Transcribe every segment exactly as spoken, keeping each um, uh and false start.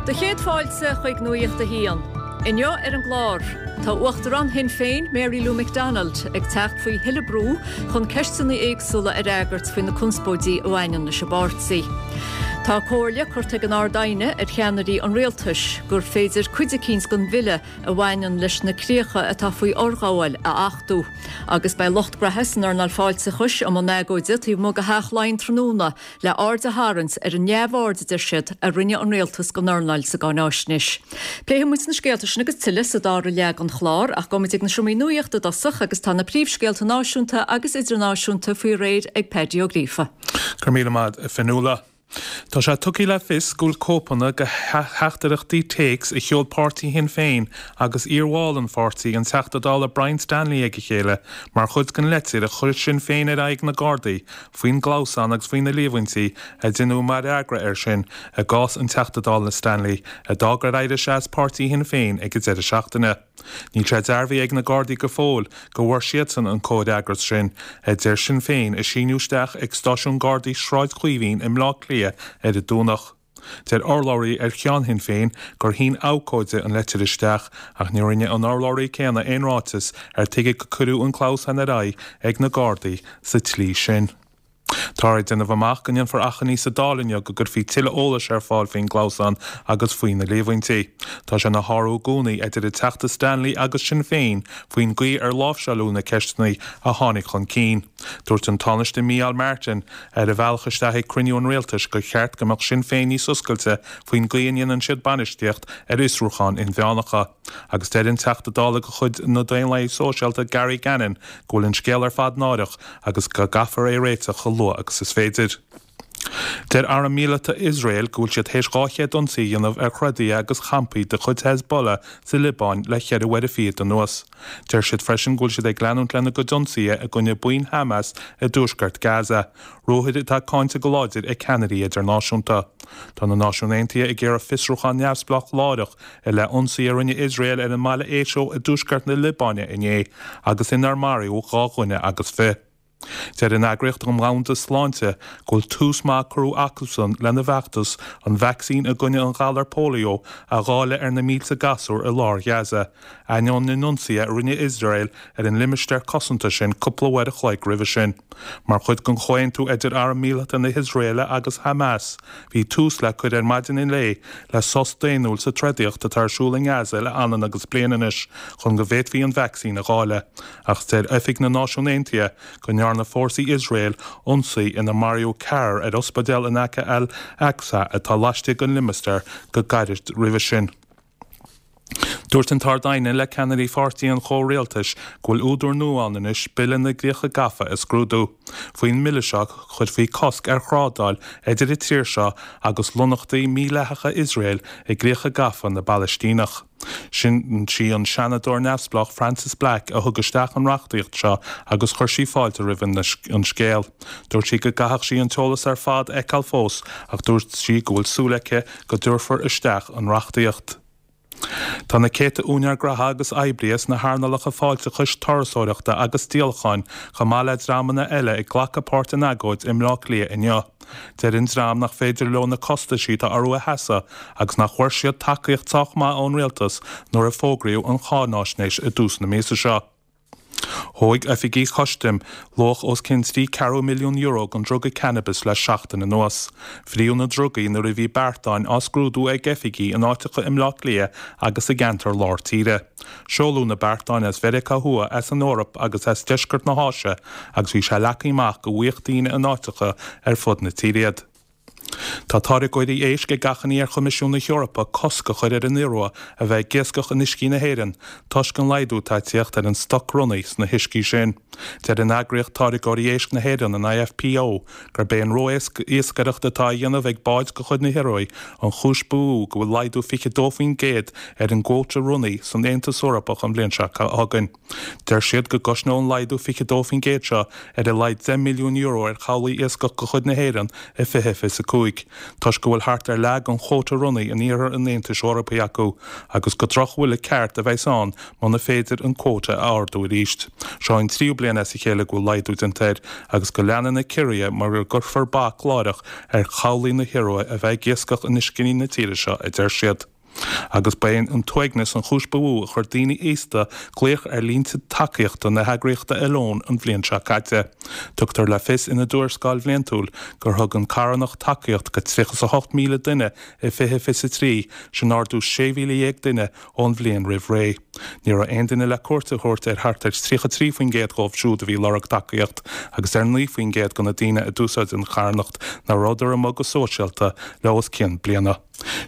Do chéad fáilte chuig Nuacht a hAon. Inniu ar an gclár, Tá Uachtarán Shinn Féin Mary Lou McDonald ag teacht faoi thuilleadh brú chun ceisteanna éagsúla a fhreagairt faoi na conspóidí a bhaineann leis an bpáirtí. Tá comhairle curtha ag an Ard-Aighne ar cheannairí an rialtais gur féidir cuid eicínt den bhille a bhaineann leis na críocha atá faoi fhorghabháil a achtú. Agus beidh lucht graithe san earnáil fáilteachais i mbun agóide taobh amuigh de Theach Laighean tráthnóna le aird a tharraingt ar an neamhaird a deir siad a rinne an rialtas den earnáil sa gcáináisnéis. Pléifidh muid na scéalta sin agus tuilleadh sa dara leath den chlár ach gabhfaimid ag na seomraí nuachta i dtosach agus tá na príomhscéalta náisiúnta agus idirnáisiúnta faoi réir ag Paddy Ó Gríofa. Go raibh míle maith agat, a Fionnuala. Tá sé tugtha le fios go bhfuil cóipeanna de theachtaireachtaí téacs a sheol páirtí Shinn Féin agus iarbhall an pháirtí an Teachta Dála Brian Stanley ag a chéile mar chuid den leitir a chuir Sinn Féin ar aghaidh na Gardaí faoin gclamhsán agus faoi na líomhaintí a deineadh mar fhreagra air sin i gcás an Teachta Dála Stanley a d'fhág ar éirigh sé as páirtí Shinn Féin ag an deireadh seachtaine. Níl sé dearbhaithe ag na Gardaí go fóill go bhfuair siadsan an comhfhreagras sin a deir Sinn Féin a síneadh isteach ag stáisiún Gardaí Sráid Chaoimhín i mBleá Cliath ar an Domhnach. Deir urlabhraí ar cheann Shinn Féin gur shín abhcóide an leitir isteach ach ní rinne an urlabhraí céanna aon ráiteas ar tuige gur cuireadh an clamhsán ar aghaidh ag na Gardaí sa tslí sin. Tá ag déanamh amach go ndéanfar achainí sa Dáil inniu go gcuirfí tuilleadh eolais ar fáil faoin gclamhsán agus faoi na líomhaintí. Tá sé ina shárú i gcónaí idir an Teachta Stanley agus Sinn Féin faoin gcaoi ar láimhseáladh na ceisteanna a tháinig chun cinn. Dúirt an Tánaiste Micheál Martin ar a bhealach isteach ag cruinniú an rialtais gur cheart go mbeadh Sinn Féin níos oscailte faoin gcaoi a ndéanann siad bainistíocht ar fhiosrúcháin inmheánacha. Agus deir an Teachta Dála de chuid na Daonlathaithe Sóisialta Gary Gannon go bhfuil an scéal ar fad náireach agus go gcaithfear é a réiteach chomh luath agus is féidir. Deir Arm Míleata Iosrael go bhfuil siad théis dhá chéad ionsaí a dhéanamh ar throdaithe agus champaí de chuid Hezbollah sa Liobáin le ceithre uaire fichead anuas. Deir siad freisin go bhfuil siad ag leanúint lena gcuid ionsaithe i gcoinne buíon Hamas i dtuaisceart Gaza, ruathair atá cáinte go láidir ag ceannairí idirnáisiúnta. Tá na Náisiúin Aontaithe ag iarraidh fiosrúchán neamhspleách láithreach i leith ionsaí a rinne Iosrael ar an mbaile Éiseo i dtuaisceart na Liobáine inné agus inar maraíodh dhá dhuine agus fiche. Deir an Eagraíocht Dhomhanda Sláinte go bhfuil tús maith curtha acusan lena bhfeachtas an vacsaín i gcoinne an ghalar polio a dháileadh ar na mílte gasúr i lár Ghaza, ainneoin na n-ionsaithe a rinne Iosrael ar an limistéar cosanta sin cúpla uair a chloig roimhe sin. Mar chuid den chomhaontú idir Arm Míleata na hIosraeile agus Hamas, bhí tús le cur ar maidin inné le sos daonnúil sa troidaíocht atá ar siúl i nGaza le anonn agus bliain anois chun go bhféadfaí an vacsaín a dháileadh. Ach deir Oifig na Náisiún Aontaithe go ndearna fórsaí Iosrael ionsaí inar maraíodh ceathrar ar ospidéal in aice Al-Aqsa atá laistigh den limistéar go gairid roimhe sin. Dúirt an tArd-Aighne le ceannairí pháirtí an chomhrialtais go bhfuil údar nua ann anois bille na gcríocha gafa a scrúdú. Faoin mbille seo chuirfí cosc ar thrádáil idir an tír seo agus lonnaíochtaí mídhleathacha Iosrael i gcríocha gafa na bPalaistíneach. Sin sí an seanadóir neamhspleách Frances Black a thug isteach an reachtaíocht seo agus chuir sí fáilte roimh an scéal. Dúirt sí go gcaithfeadh sí an t-eolas ar fad a fheiceáil fós ach dúirt sí go bhfuil súil aici go dtabharfar isteach an reachtaíocht. Tá na céadta úinéir graithe agus oibrithe sna hearnálacha fáilteachais turasóireachta agus díolacháin chomh maith le dreamanna eile ag glacadh páirt in agóid i mBleá Cliath inniu. Deir an dream nach féidir leo na costaisí atá orthu a sheasamh agus nach bhfuair siad tacaíocht sách maith ón rialtas nuair a fógraíodh an cháinaisnéis i dtús na míosa seo. Thóg oifigigh chustaim luach os cionn trí ceathrú milliún euro den druga cannabis le seachtain anuas. Fríodh na drugaí nuair a bhí beartáin á scrúdú ag oifigigh in áiteacha i mBleá Cliath agus i gceantar lár tíre. Seoladh na beartáin as Mheiriceá Thuaidh as an Eoraip agus as deisceart na hÁise agus bhí sé leagtha amach go bhfaigheadh daoine in áiteacha ar fud na tíre iad. Tá táirgeoirí éisc ag achainí ar Choimisiún na hEorpa cosc a chur ar an iorua a bheith ag iascach in uiscí na hÉireann toisc an laghdú atá ag tíocht ar an stoc ronnaigh sna huiscí sin. Deir an eagraíocht Táirgeoirí Éisc na hÉireann an IFPO gurb é an ró-iascaireacht atá á dhéanamh ag báid de chuid na hIorua an chúis ba mhó go bhfuil laghdú fiche dó faoin gcéad ar an gcuóta ronnaigh san Aontas Eorpach an bhliain seo chugainn. Deir siad go gcosnódh an laghdú fiche dó faoin gcéad seo ar a laghad deich milliún euro ar chabhlaigh iascach de chuid na hÉireann i fiche fiche a cúig. cúig, toisc go bhfuil thart ar leath den chóta ronnaigh in iarthar an Aontais Eorpaigh acu agus gur drochbhuille ceart a bheas ann muna féidir an cuóta a ardú arís. Seo an tríú bliain as a chéile go bhfuil laghdú déanta air agus go leanann na ciorruithe mura gcuirfear bac láithreach ar chabhlaigh na hIorua a bheith ag iascach in uiscí na tíre seo, a deir siad. Agus ba é an t-uaigneas an chúis ba mhó a chuir daoine aosta glaoch ar línte tacaíochta na heagraíochta Alone an bhliain seo caite. Tugtar le fios ina dtuarascáil bhliantúil gur thug an charthanacht tacaíocht go tríocha a hocht míle duine i fiche fiche trí, sin ardú sé mhíle dhéag duine ón bhliain roimh ré. Ní raibh aon duine le cuairt a thabhairt ar thart ar tríocha trí faoin gcéad dóibh siúd a bhí ag lorg tacaíocht, agus ar naoi faoin gcéad de na daoine a d'úsáid an charthanacht nach rabhadar amuigh go sóisialta le os cionn bliana.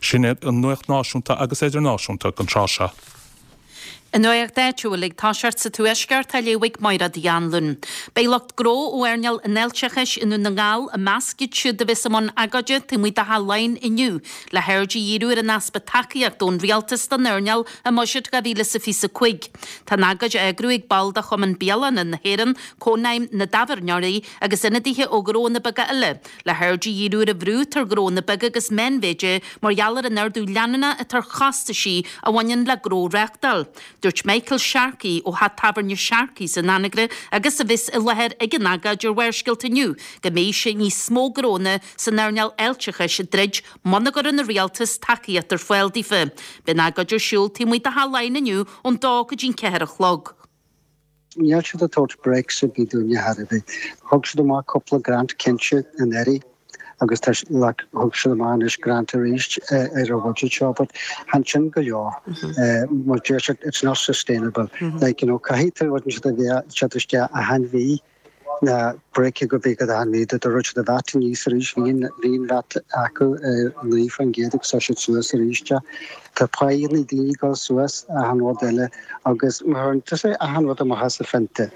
Sin iad an nuacht náisiúnta agus idirnáisiúnta don tráth seo. An nuacht áitiúil ag toiseacht sa Tuaisceart á léamh ag Máire Uí Anluain. Beidh lucht gnó ó earnáil an fháilteachais i nDún na nGall i measc iad siúd a bheas i mbun agóide taobh amuigh de Theach Laighean inniu le haird a dhíriú ar an easpa tacaíocht ón rialtas don earnáil i mBuiséad dhá mhíle is a fiche a cúig. Tá an agóid á eagrú ag baill de Chumann Bialanna na hÉireann, Cónaidhm na dTábhairneoirí agus ionadaithe ó ghnónna beaga eile, le haird a dhíriú ar an bhrú atá ar ghnónna beaga agus meánmhéide mar gheall ar an ardú leanúnach atá ar chostaisí a bhaineann le gnó a reáchtáil. Dúirt Michael Sharkey ó theach tábhairne Sharkey's in Anagaire agus a bheas i láthair ag an agóid ar Bharrscéalta inniu go mbeidh sé níos mó gnónna san earnáil fháilteachais ag druid muna gcuireann an rialtas tacaíocht ar fáil daofa. Beidh an agóid ar siúl taobh amuigh de Theach Laighean inniu ón dó go dtí'n ceathair a chlog. Níl siad ag tabhairt breaks ar bith dúinne thar a bheith. Thug siad amach cúpla grant cinnte anuraidh agus tá like, thug siad amach anois grant arís ar an budget seo, but chan sin go leor. Mar deir siad it's not sustainable. Like, you know, caithfidh tú rud siad a bheith siad isteach achan mhí na break go bhí go achan mhí do rud siad a VAT níos arís bhí bhí an VAT acu naoi faoin gcéad agus tá siad suas arís. Tá praghas na daoine go suas achan rud eile agus mar tá sé achan rud amach as a phionta.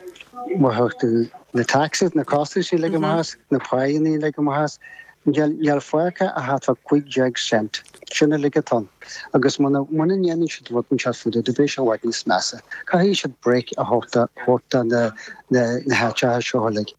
Mar thug tú na taxes, na costais le amach as, na praghsanna le amach as, Níl fágtha ach tá cúig déag cent sin uilig atá ann agus muna muna ndéanann siad rud inteacht faoi do beidh sé i bhfad níos measa. Caithfidh siad break a thabhairt na na na háiteacha seo uilig.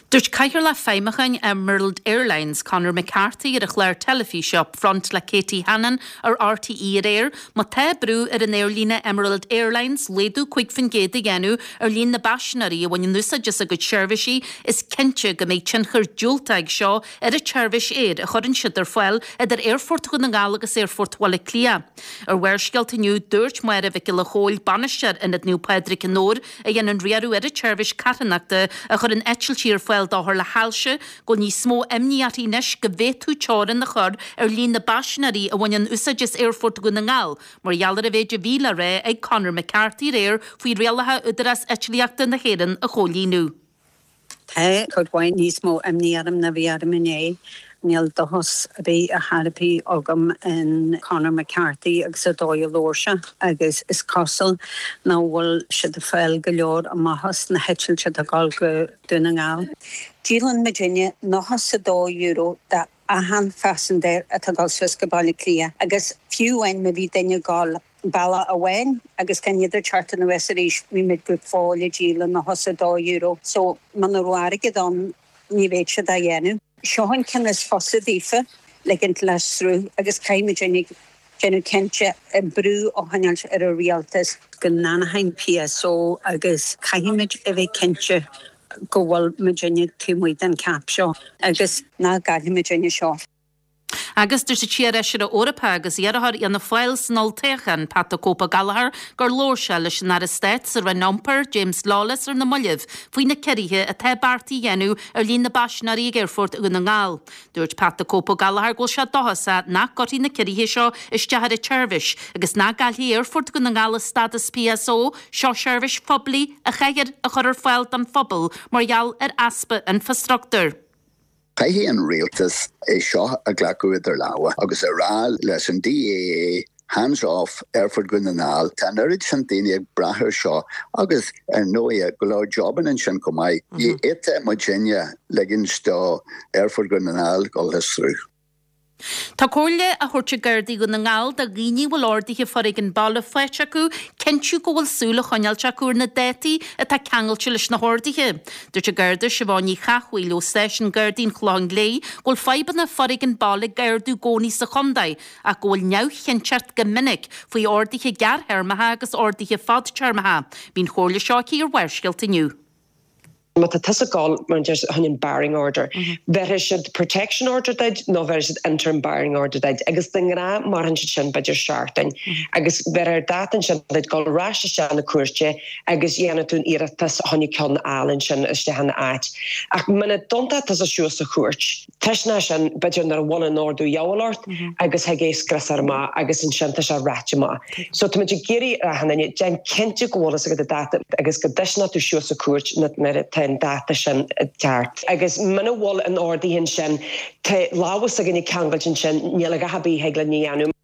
Dúirt Cathaoirleach Feidhmiúcháin Emerald Airlines Conor McCarthy ar a chlár teilifíse Upfront le Katie Hannon ar R T E aréir, má tá brú ar an aerlíne Emerald Airlines laghdú cúig faoin gcéad a dhéanamh ar líon na bpaisinéirí a bhaineann úsáid as a gcuid seirbhísí is cinnte go mbeidh tionchar diúltach ag seo ar an tseirbhís aeir a chuireann siad ar fáil idir Aerfort Dhún na nGall agus Aerfort Bhaile Átha Cliath. Ar Bharrscéalta inniu dúirt Máire Mhic Giolla Chóill bainisteoir Ionad Naomh Pádraig in Dobhair a dhéanann riaradh ar an tseirbhís carthanachta a chuireann eitiltí ar fáil d'othair le hailse, go níos mó imní uirthi anois go bhféadfaí teorainn a chur ar líon na bpaisinéirí a bhaineann úsáid as Aerfort Dhún na nGall, mar gheall ar an mhéid a bhí le rá ag Conor McCarthy aréir faoi rialacha Údarás Eitlíochta na hÉireann a chomhlíonadh. Tá cuid mhaith níos mó imní orm ná bhí orm inné. Níl dóchas ar bith ar chor ar bith agam in Conor McCarthy agus an dóigh a labhair sé agus is cosúil nach bhfuil siad ag fáil go leor amach as na heitiltí atá ag dul go Dún na nGall. Díolann muidinne nócha is a dó euro de achan phaisinéir atá ag dul suas go Baile Átha Cliath agus fiú amháin má bhí duine ag dul bealach amháin agus gan iad ag teacht anuas arís bhí muid go fóill ag díol nócha is a dó euro so muna raibh airgead ann ní bheadh siad á dhéanamh. Seo an ceann is fusa daofa ligint le sruth agus caithfidh muid déanamh cinnte brú a choinneáil ar an rialtas go n-athraíonn P S O agus caithfimid a bheith cinnte go bhfuil muidinne taobh amuigh den cap seo agus ná caillfimid duine seo. Agus dúirt an t-iarfheisire Eorpach agus iarrthóir Fhianna Fáil san olltoghchán Pat the Cope Gallagher gur labhair sé leis an Aire Stáit sa Roinn Iompair James Lawless ar na mallaibh faoi na ciorruithe atá beartaithe a dhéanamh ar líon na bpaisinéirí ag Aerfort Dhún na nGall. Dúirt Pat the Cope Gallagher go bhfuil sé dóchasach nach gcuirfidh na ciorruithe seo isteach ar an tseirbhís agus nach gcaillfidh Aerfort Dhún na nGall a stádas P S O seo seirbhís phoiblí a chaithfear a chur ar fáil don phobal mar gheall ar easpa infrastruchtúir. Caithfidh an rialtas é seo a ghlacadh idir lámha agus a rá leis an D A A hands off Aerfort Dhún na nGall. Tá an oiread sin daoine ag brath air seo agus ar ndóigh go leor jobanna ansin chomh maith. Ní fhéadfadh muidinne ligint do Aerfort Dhún na nGall dul through. Tá comhairle á thabhairt ag Gardaí Dhún na nGall do dhaoine a bhfuil orduithe foréigin baile faighte acu cinntiú go bhfuil súil á choinneáilt acu ar na dátaí atá ceangailte leis na horduithe. Dúirt an Garda Siobhán Ní Chathmhaoil ó Stáisiún Gardaí an Chlocháin Léith go bhfuil fadhbanna foréigin baile ag ardú i gcónaí sa chontae ach go bhfuil neamhchinnteacht go minic faoi orduithe gearrthéarmacha agus orduithe fadtéarmacha. Bhí an chomhairle seo aici ar Bharrscéalta inniu. Má tá tusa ag gabháil mar chun an barring order. Bheirfidh siad protection order duit nó bheirfidh siad interim barring order duit agus de ghnáth maireann siad sin b'fhéidir seachtain agus bheir dáta sin duit dul ar ais isteach na cúirte agus dhéanamh tú an iarratas chun ceann a fháil ansin isteach ina áit. Ach muna dtéann tusa suas sa chúirt. Tuisna sin b'fhéidir nuair a bhain an ordú ghabháil ort agus thig é scriosadh amach agus ansin tá sé ráite amach. So tá muid ag iarraidh ar achan duine déan cinnte go bhfuil a fhios agat an dáta agus go dtuisneoidh tú suas sa chúirt nuair atá an dáta sin ceart. Agus muna bhfuil an ordaithe sin tá lámh againne ceangailte ansin níl a dhath ar bith le dhéanamh.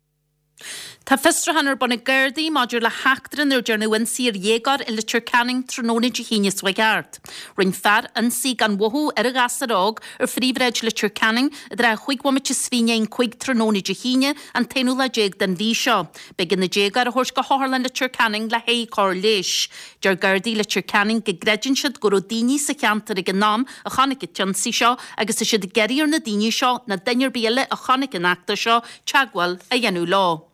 Tá fiosrúchán ar bun ag Gardaí maidir le heachtra nuair dearnadh ionsaí ar dhéagóir i Leitir Ceanainn tráthnóna Dé hAoine seo thart. Rinne fear ionsaí gan mhothú ar a ghasúr óg ar phríomhshráid Leitir Ceanainn idir a chúig bhomaite is fiche i ndiaidh a cúig tráthnóna Dé hAoine an t-aonú lá déag den mhí seo. B'éigean an déagóir a thabhairt go hotharlann Leitir Ceanainn le haghaidh cóir leighis. Deir Gardaí Leitir Ceanainn go gcreideann siad go raibh daoine sa cheantar ag an am a chonaic an t-ionsaí seo agus tá siad ag iarraidh ar na daoine seo nó duine ar bith eile a chonaic an eachtra seo teagmháil a dhéanamh leo.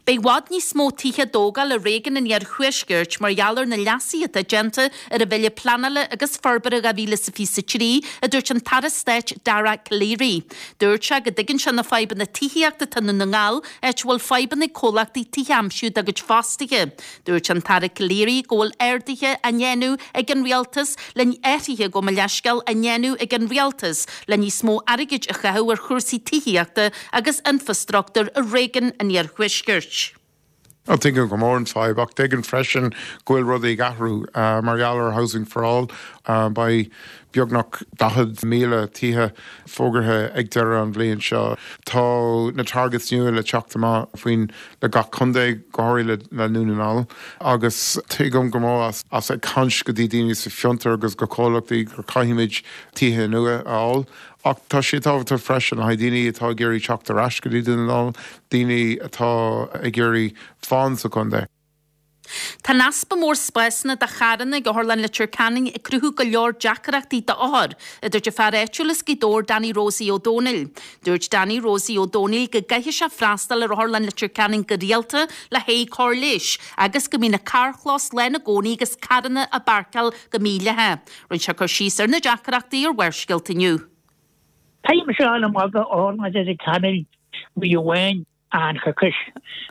Beidh i bhfad níos mó tithe á dtógáil i réigiún an Iarthuaiscirt mar gheall ar na leasuithe atá déanta ar an Bhille Pleanála agus Forbartha dhá mhíle is fiche a trí, a dúirt an tAire Stáit Dara Calleary. Dúirt sé go dtuigeann sé na fadhbanna tithíochta atá i nDún na nGall, áit a bhfuil fadhbanna ag comhlachtaí tithe a aimsiú dá gcuid fostaithe. Dúirt an tAire Calleary go bhfuil arduithe á ndéanamh ag an rialtas le athruithe gabh mo leithscéal á ndéanamh ag an rialtas le níos mó airgid a chaitheamh ar chúrsaí tithíochta agus infrastruchtúr i réigiún an Iarthuaiscirt. Tuigim go mór an fadhb ach tuigim freisin go bhfuil rudaí ag athrú uh, mar gheall ar Housing for All uh, beidh beagnach daichead míle tithe fógartha ag deireadh an bhliain seo. Tá na targets nua le teacht amach faoin le gach contae go háirithe le Dún na nGall agus tuigim go mór as, as ag caint go dtí daoine sa fiontar agus go comhlachtaí gur caithfimid tithe nua a fháil. Ach tá sé tábhachtach freisin le daoine atá ag iarraidh teacht ar ais go dtí Dún na nGall, daoine atá ag iarraidh fán sa chontae. Tá an easpa mór spásanna do charranna ag Otharlann Leitir Ceanainn ag cruthú go leor deacrachtaí d'othair, a dúirt an fear áitiúil as Gaoth Dobhair Danny Rosie Ó Dónaill. Dúirt Danny Rosie Ó Dónaill go gcaithfidh sé freastal ar Otharlann Leitir Ceanainn go rialta le haghaidh cóir leighis, agus go mbíonn an carrchlós lán i gcónaí agus carranna á bpáirceáil go mídhleathach. Rinne sé cur síos ar na deacrachtaí ar Bharrscéalta inniu. Táim seo an maga Otharlann Leitir Ceanainn uair amháin an choicís.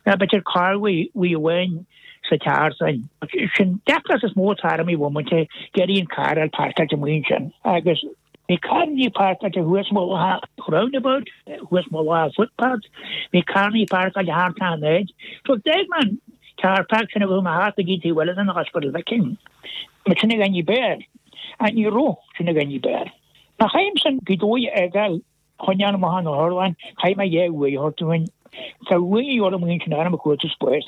B'fhéidir carr uair amháin sa tseachtain. Sin deacracht is mó atá orm i bhomaite iarraidh an carr a pháirceáilte amuigh ansin. Agus bhí carranna páirceáilte thuas mullach roundabout, thuas mullach footpath, bhí carranna páirceáilte thart an áit. So d'fhág mé an car park sin a bhfuil thart ag tí bhfuil an Hospital Viking. Ma sin a ní béir, a ní ro sin a ní béir. Na chaim san go dóigh egal choinneáil amach an otharlann, chaith mé dhá uair a thabhairt Tá uair orm sin arm a chuid spéis.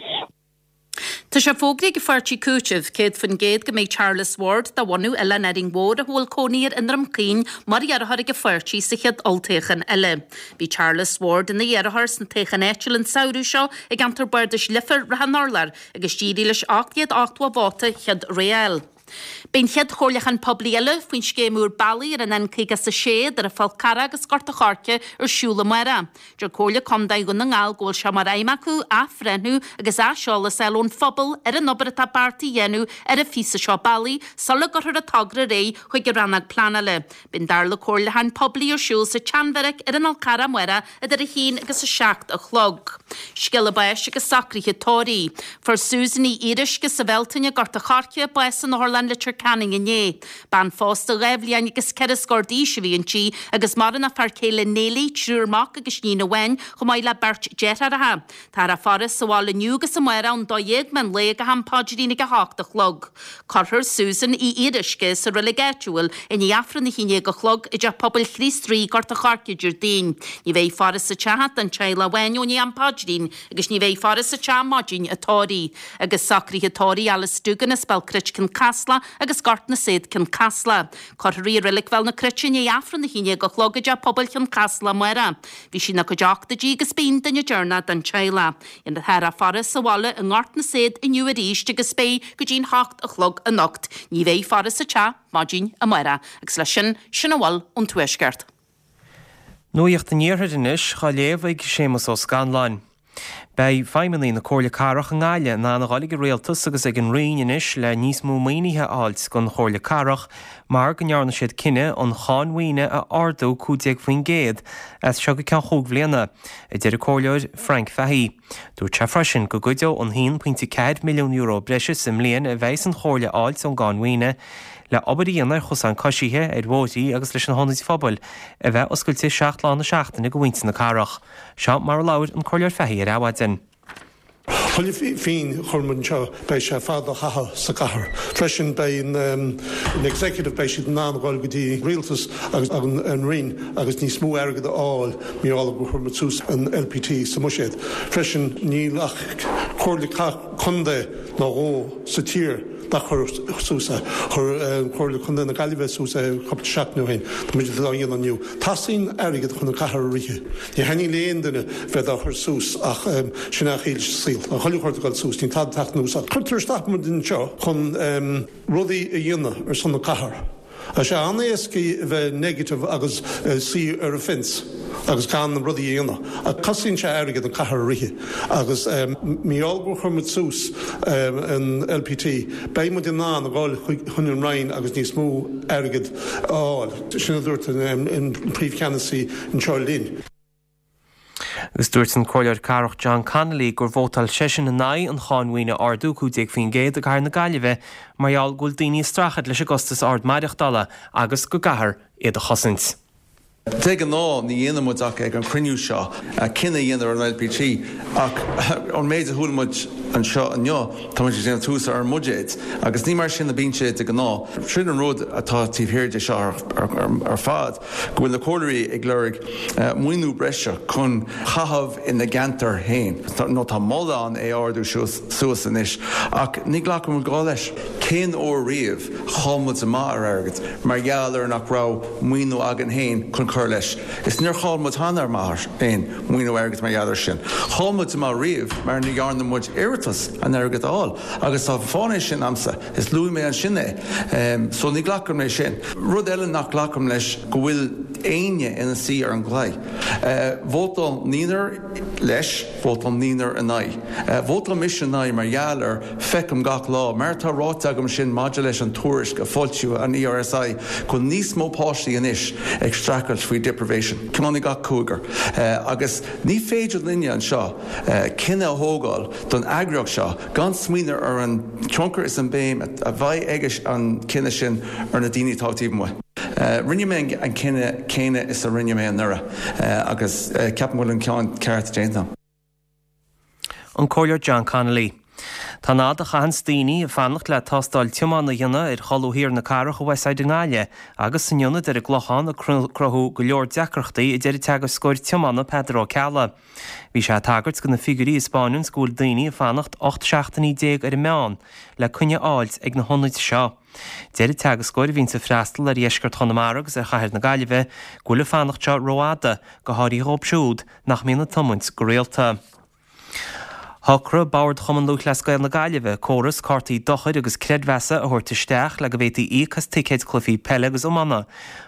Tá sé fógraithe ag an pháirtí Cúiteamh céad faoin gcéad go mbeidh Charles Ward de bhunadh Oileán Árainn Mhór a bhfuil cónaí air i nDroim Caoin mar iarrthóir ag an pháirtí sa chéad olltoghchán eile. Bhí Charles Ward ina iarrthóir sna toghcháin áitiúil an samhradh seo i gceantar Bardais Leifear Ráth an Urláir agus d'éirigh leis ocht gcéad ochtó vóta chéad rogha a fháil. Beidh an chéad chomhairliúchán poiblí eile faoin scéim úr bealaí ar an N caoga is a sé idir an Fál Carrach agus Gort an Choirce ar siúl amárach. Deir Comhairle Contae Dhún na nGall go bhfuil sé mar aidhm acu athbhreithniú agus aiseolas a fháil ón phobal ar an obair atá beartaithe a dhéanamh ar an phíosa seo bealaigh sula gcuirfear an togra ar aghaidh chuig an rannóg pleanála. Beidh an darna comhairliúchán poiblí ar siúl sa tSeanbheairic ar an Fhál Carrach amárach idir a haon agus a seacht a chlog. Scéala báis agus socruithe tórraimh. Fuair Susan Ní Fhíoruisce sa Bhealtaine Gort an Choirce bás in Otharlann Leitir Ceanainn inné. Bean phósta dhá bhliain agus ceithre scór d'aois a bhí inti agus maireann a fear céile Néilí, triúr mac agus iníon amháin chomh maith le beirt deartháireacha. Tá a faire sa bhaile inniu agus amárach ón dó dhéag meán lae go ham paidrín ag a hocht a chlog. Cuirfear Susan Uí Fhíoruisce sa reilig áitiúil i ndiaidh Aifreann a haon déag a chlog i dteach pobail Chríost Rí Gort an Choirce Déardaoin. Ní bheidh faire sa teach don teaghlach amháin ó ndiaidh am paidrín agus ní bheidh faire sa teach maidin an tórraimh. Agus socruithe tórraimh Alice Dugan as Belcrit Caslach Chasla agus Gort na Saod Cionn Caslach. Cuirfear í i Reilig Bhéal na Cruite i ndiaidh Aifreann a haon déag a chlog i dteach pobail Chionn Caslach amárach. Bhí sí ina cuid ochtóidí agus b'í an duine deireanach den teaghlach. Déanfar a faire sa bhaile i nGort na Saod inniu arís agus beidh go dtí'n hocht a chlog anocht. Ní bheidh faire sa teach maidin amárach. Agus leis sin, sin a bhfuil ón Tuaisceart. Nuacht an Iarthair anois á léamh ag Séamus Ó Scanláin. Beidh feidhmeannaigh na Comhairle Cathrach i nGaillimh in ann a dhul ag an Rialtas agus ag an Roinn anois le níos mó maoinithe a fháilt don Chomhairle Cathrach mar go ndearna siad cinneadh an cháin mhaoine a ardú cúig déag faoin gcéad as seo go ceann chúig bhliana, a deir an Comhairleoir Frank Fahey. Dúirt sé freisin go gcuideodh an haon pointe ceathair milliún euro breise sa mbliain a bheidh an Chomhairle a fháilt ón gcáin mhaoine le obair a dhéanamh ar chosáin coisithe, ar bhóithrí agus leis na hionaid phobail a bheith oscailte seacht lá na seachtaine do mhuintir na cathrach. Seo mar a labhair an Comhairleoir Fahey ar Adhmhaidin. Chuile phingin a chuir muid anseo beidh sé fada a chaitheamh sa gcathair. Freisin beidh an executive beidh siad in ann dul go dtí rialtas agus an Roinn agus níos mó airgead a fháil mar gheall gur chuir muid suas an LPT sa mbuiséad. Freisin níl ach comhairle contae nó dhó sa tír nach chuir suas é. Chuir Comhairle Contae na Gaillimhe suas é cúpla seachtain ó shin. Tá muid á dhéanamh inniu. Teastaíonn airgead chun an cathair a rith. Ní thaitníonn le aon duine bheith á chur suas ach sin é an saol. An chuile shórt ag dul suas, níl tada ag teacht anuas. Cuirtear isteach muid anseo chun rudaí a dhéanamh ar son na cathair. Tá sé an-éasca a bheith negative agus suí ar an fence agus gan rudaí a dhéanamh. Ach cosnaíonn sé airgead an cathair a rith agus mar gheall gur chuir muid suas an LPT, beidh muid in ann a dhul chun an Roinn agus níos mó airgead a fháil. Sin a dúirt an príomhcheannasaí anseo linn. Agus dúirt an Comhairleoir Cathrach John Connolly gur vótáil seisean in aghaidh an cháin mhaoine a ardú cúig déag faoin gcéad i gcathair na Gaillimhe mar gheall go bhfuil daoine ag streachailt leis an gcostas ard maireachtála agus go gcaithfear iad a chosaint. De ghnáth ní dhéanann muid ach ag an chruinniú seo cinneadh a dhéanamh ar an LPT ach an méid a chuala muid anseo inniu tá muid ag déanamh tús ar an mbuiséad agus ní mar sin a bíonn sé de ghnáth. Sin an rud atá taobh thiar de seo ar fad go bhfuil na comhairleoirí ag lorg maoiniú breise chun caitheamh ina gceantar féin. Nó tá moladh ann é ardú suas anois ach ní ghlacann muid leis. Cén uair riamh chaill muid amach ar airgead mar gheall ar nach raibh maoiniú againn féin chun cur leis. Is níor chaill muid cheana amach aon maoiniú airgead mar gheall air sin. Chaill muid amach riamh mar ní dhearna muid iarratas an airgead a fháil agus tá fáth sin agamsa is luaigh mé ansin é. So ní ghlacaim leis sin. Rud eile nach ghlacaim leis go bhfuil éinne ina suí ar an gclaí. Vótáil naonúr leis, vótáil naonúr in aghaidh. Vótáil mise in aghaidh mar gheall ar feicim gach lá, mar tá ráite agam sin maidir leis an tuairisc a foilsíodh an ERSI go níos mó páistí anois ag streachailt faoi deprivation. Ceann i gach cúigear. Agus ní féidir linne anseo cinneadh a thógáil don eagraíocht seo gan smaoineamh ar an tionchar is an béim a bheidh ag an cinneadh sin ar na daoine atá taobh amuigh. Rinne mé an cinneadh céanna is a rinne mé anuraidh agus ceapaim go bhfuil an ceann ceart déanta. An Comhairleoir John Connolly. Tá an fhad a chaitheanns daoine ag fanacht le tástáil tiomána a dhéanamh ar cholbha thiar na cathrach i Westside i nGaillimh agus san ionad ar an gClochán ag cruthú go leor deacrachtaí a deir an teagascóir tiomána Peadar Ó Ceallaigh. Bhí sé ag tagairt do na figiúirí a 'spáineanns go bhfuil daoine ag fanacht ocht seachtainí déag ar an meán le coinne a fháilt ag na hionaid seo. Deir an teagascóir a bhíonns ag freastal ar dheisceart Chonamara agus ar chathair na Gaillimhe go bhfuil an fanacht seo rófhada, go háirithe dhóibh siúd nach mbíonn ag tiomáint go rialta. Shocraigh Bord Chumann Lúthchleas Gael na Gaillimhe córas cártaí dochair agus creidmheasa a thabhairt isteach le go bhféadfaí íoc as ticéid cluichí peile agus iomána.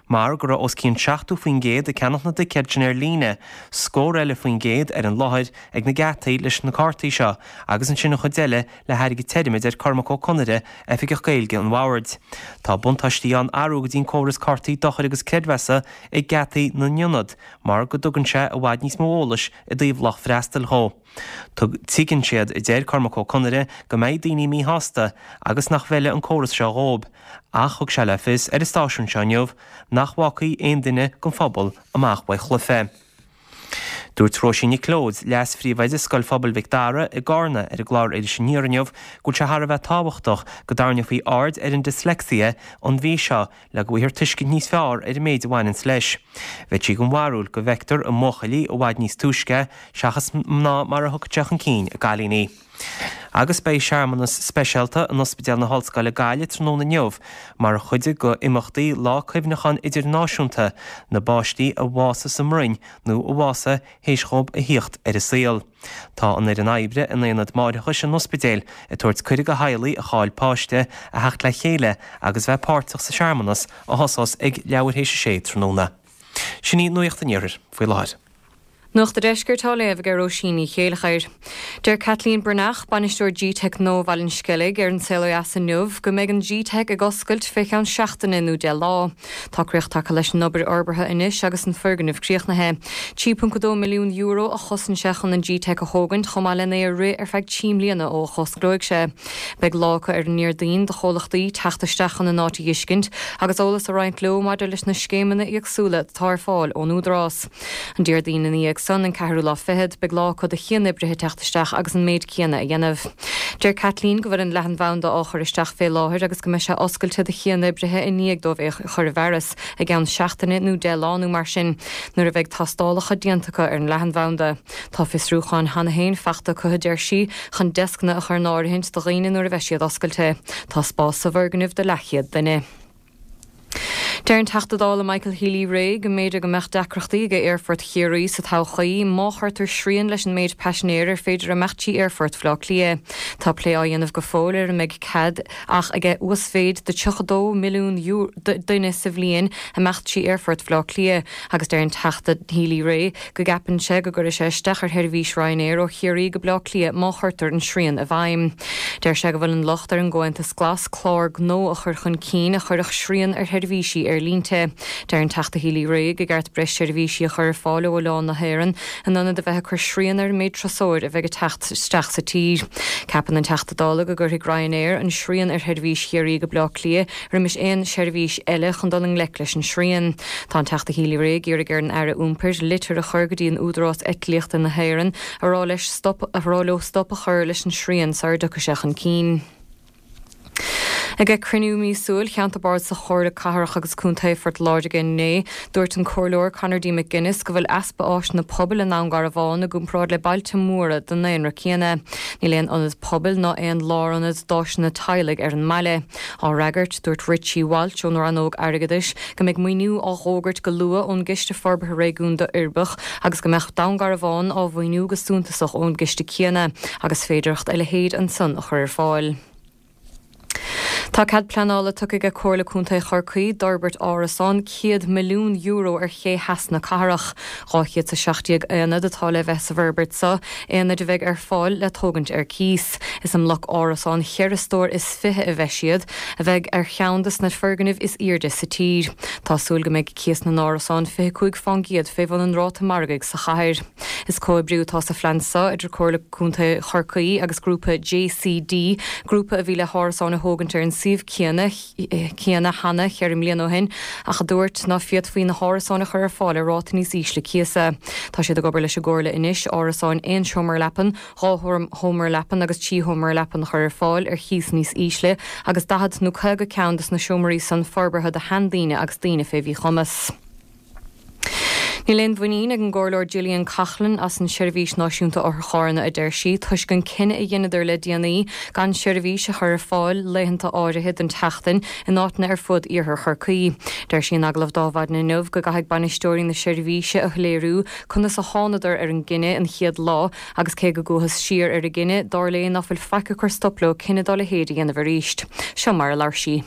Mar go raibh os cionn seachtó faoin gcéad ag ceannach na dticéad sin ar líne, scór eile faoin gcéad ar an láthair ag na geataí leis na cártaí seo agus ansin an chuid eile le hairgead tirim, a deir Cormac Ó Conaire, Oifigeach Gaeilge an Bhoird. Tá buntáistí ann athrú go dtí an córas cártaí dochair agus creidmheasa ag geataí na n-ionad mar go dtugann sé i bhfad níos mó eolais i dtaobh lucht freastail dhó. Tuigeann siad, a deir Cormac Ó Conaire, go mbeidh daoine míshásta agus nach bhfeilfidh an córas seo dhóibh, ach thug sé le fios ar an stáisiún seo inniu nach bhfágfaidh aon duine den phobal amach uaidh chluiche. Dúirt Róisín Nic Leoid, Leas-Phríomhoide Scoil Phobail Mhic Dara i gCarna ar an gclár Iris Aniar inniu go bhfuil sé thar a bheith tábhachtach go dtarraingeofaí aird ar an dyslexia an mhí seo le go bhfaighfear tuiscint níos fearr ar an méid a bhaineanns leis. Bheadh sí den bharúil go bhfeictear i mbuachaillí i bhfad níos túisce seachas mná mar a thiocfadh sé chun cinn i gcailíní. Agus beidh searmanas speisialta in Ospidéal na hOllscoile Gaillimh tráthnóna inniu mar chuid de imeachtaí Lá Cuimhneacháin Idirnáisiúnta na bpáistí a bhásaigh sa mbroinn nó a bhásaigh théis dóibh a thíocht ar an saol. Tá an fhoireann oibre in aonad máithreachais an ospidéil ag tabhairt cuireadh do theaghlaigh a chaill páiste a theacht le chéile agus bheith páirteach sa searmanas a thosós ag leathuair théis a sé tráthnóna. Sin í nuacht an iarthair faoi láthair. Nuacht an Deiscirt á léamh ag Róisín Ní Chéilleachair. Deir Kathleen Breathnach, bainisteoir G-Teic Nua Bhaile an Sceilg ar an Saol Ó Dheas inniu go mbeidh an G-Teic ag oscailt fé cheann seachtaine nó deich lá. Tá críoch tagtha leis an obair fhorbartha anois agus an foirgneamh críochnaithe. Trí ponc dó milliún euro a chosain sé chun an G-Teic a thógaint chomh maith lena é a rith ar feadh trí mbliana ó a osclóidh sé. Beidh lá acu ar an nDéardaoin do chomhlachtaí teacht isteach chun an áit a fheiscint agus eolas a roinnt leo maidir leis na scéimeanna éagsúla atá ar fáil ón Údarás. An Déardaoin ina dhiaidh san an ceathrú lá fichead, beidh lá acu do chianoibrithe teacht isteach agus an méid céanna a dhéanamh. Deir Kathleen go bhfuil an leathanbhanda á chur isteach fé láthair agus go mbeidh sé oscailte do chianoibrithe i ndiaidh dóibh é chur i bhfearas i gceann seachtaine nó deich lá nó mar sin, nuair a bheidh tástálacha déanta acu ar an leathanbhanda. Tá fiosrúcháin cheana féin faighte acu a deir sí chun deascanna a chur in áirithint do dhaoine nuair a bheidh siad oscailte. Tá spás sa bhfoirgneamh do leathchéad duine. Deir an Teachta Dála Michael Healy-Rae go mb'fhéidir go mbeadh deacrachtaí ag Aerfort Chiarraí sa todhchaí má chuirtear srian leis an méid paisinéir ar féidir imeacht trí Aerfort Bhaile Átha Cliath. Tá plé á dhéanamh go fóill ar an mbeidh cead ach ag uasmhéid de tríocha dó milliún duine sa bhliain imeacht trí Aerfort Bhaile Átha Cliath agus deir an Teachta Healy-Rae go gceapann sé go gcuirfidh sé isteach ar sheirbhís Ryanair ó Chiarraí go Baile Átha Cliath má chuirtear an srian i bhfeidhm. Deir sé go bhfuil an locht ar an gComhaontas Glas clár gnó a chur chun cinn a chuirfeadh srian ar sheirbhísí aerlínte. Deir an Teachta Healy-Rae gur cheart breis seirbhísí a chur ar fáil ó oileán na hÉireann in ionad a bheith ag cur srian ar an méid turasóir a bheidh ag teacht isteach sa tír. Ceapann an Teachta Dála go gcuirfidh Ryanair an srian ar sheirbhís Chiarraí go Baile Átha Cliath roimis aon seirbhís eile chun dul i ngleic leis an srian. Tá an Teachta Healy-Rae ag iarraidh ar an Aire Iompair litir a chur go dtí an Údarás Eitlíochta na hÉireann a rá leis stop a rá leo stop a chur leis an srian sara dtiocfaidh sé chun cinn. Ag cruinniú míosúil Cheantar Bardasach Chomhairle Cathrach agus Contae Phort Láirge inné, dúirt an Comhairleoir Conor D. McGuinness go bhfuil easpa áiseanna pobail i nDún Garbhán i gcomparáid le bailte móra den daonra céanna. Níl aon ionad pobail ná aon lárionad d'áiseanna teaghlaigh ar an mbaile. Á fhreagairt, dúirt Richie Walsh ón rannóg airgeadais go mbeidh maoiniú á fhógairt go luath ón gCiste Forbartha Réigiúnda Uirbeach agus go mbeadh Dún Garbhán á mhaoiniú go suntasach ón gciste céanna agus féidearthacht a leithéid ansan a chur ar fáil. Tá cead pleanála tugtha ag Comhairle Contae Chorcaí d'fhorbairt árasán céad milliún euro ar ché theas na cathrach. Dhá chéad is a seacht déag aonad atá le bheith sa bhforbairt seo, aonaid a bheidh ar fáil le tógaint ar cíos. Is i mbloc árasán cheithre stór is fiche a bheidh siad, a bheidh ar cheann de na foirgnimh is airde sa tír. Tá súil go mbeidh cíos na n-árasán fiche cúig faoin gcéad fé bhun an ráta margaidh sa chathair. Is comhoibriú atá sa phlean seo idir Comhairle Contae Chorcaí agus grúpa JCD, grúpa a bhí le hárasáin a thógaint ar an suíomh céanna céanna cheana ceithre mbliana ó shin ach a dúirt ná féadfaí na hárasáin a chur ar fáil ar ráta níos ísle cíosa. Tá siad ag obair leis an gComhairle anois árasáin aon seomra leapan, dhá sheomra leapan agus trí sheomra leapan a chur ar fáil ar chíos níos ísle agus daichead nó caoga ceann de na seomraí san forbartha do sheandaoine agus daoine fé mhíchumas. Níl aon mhuinín ag an gComhairleoir Gillian Coughlan as an Seirbhís Náisiúnta Otharcharranna a deir sí, toisc an cinneadh a dheineadar le déanaí gan seirbhís a chur ar fáil laethanta áirithe den tseachtain in áiteanna ar fud iarthar Chorcaí. Deir sí in agallamh d'Adhmhaidin inniu go gcaithfidh bainisteoirí na seirbhíse a shoiléiriú conas a thánadar ar an gcinneadh an chéad lá agus cé go gcuathas siar ar an gcinneadh, dar léi ná fuil faic ag cur stop leo cinneadh dá leithéid a dhéanamh arís. Seo mar a labhair sí.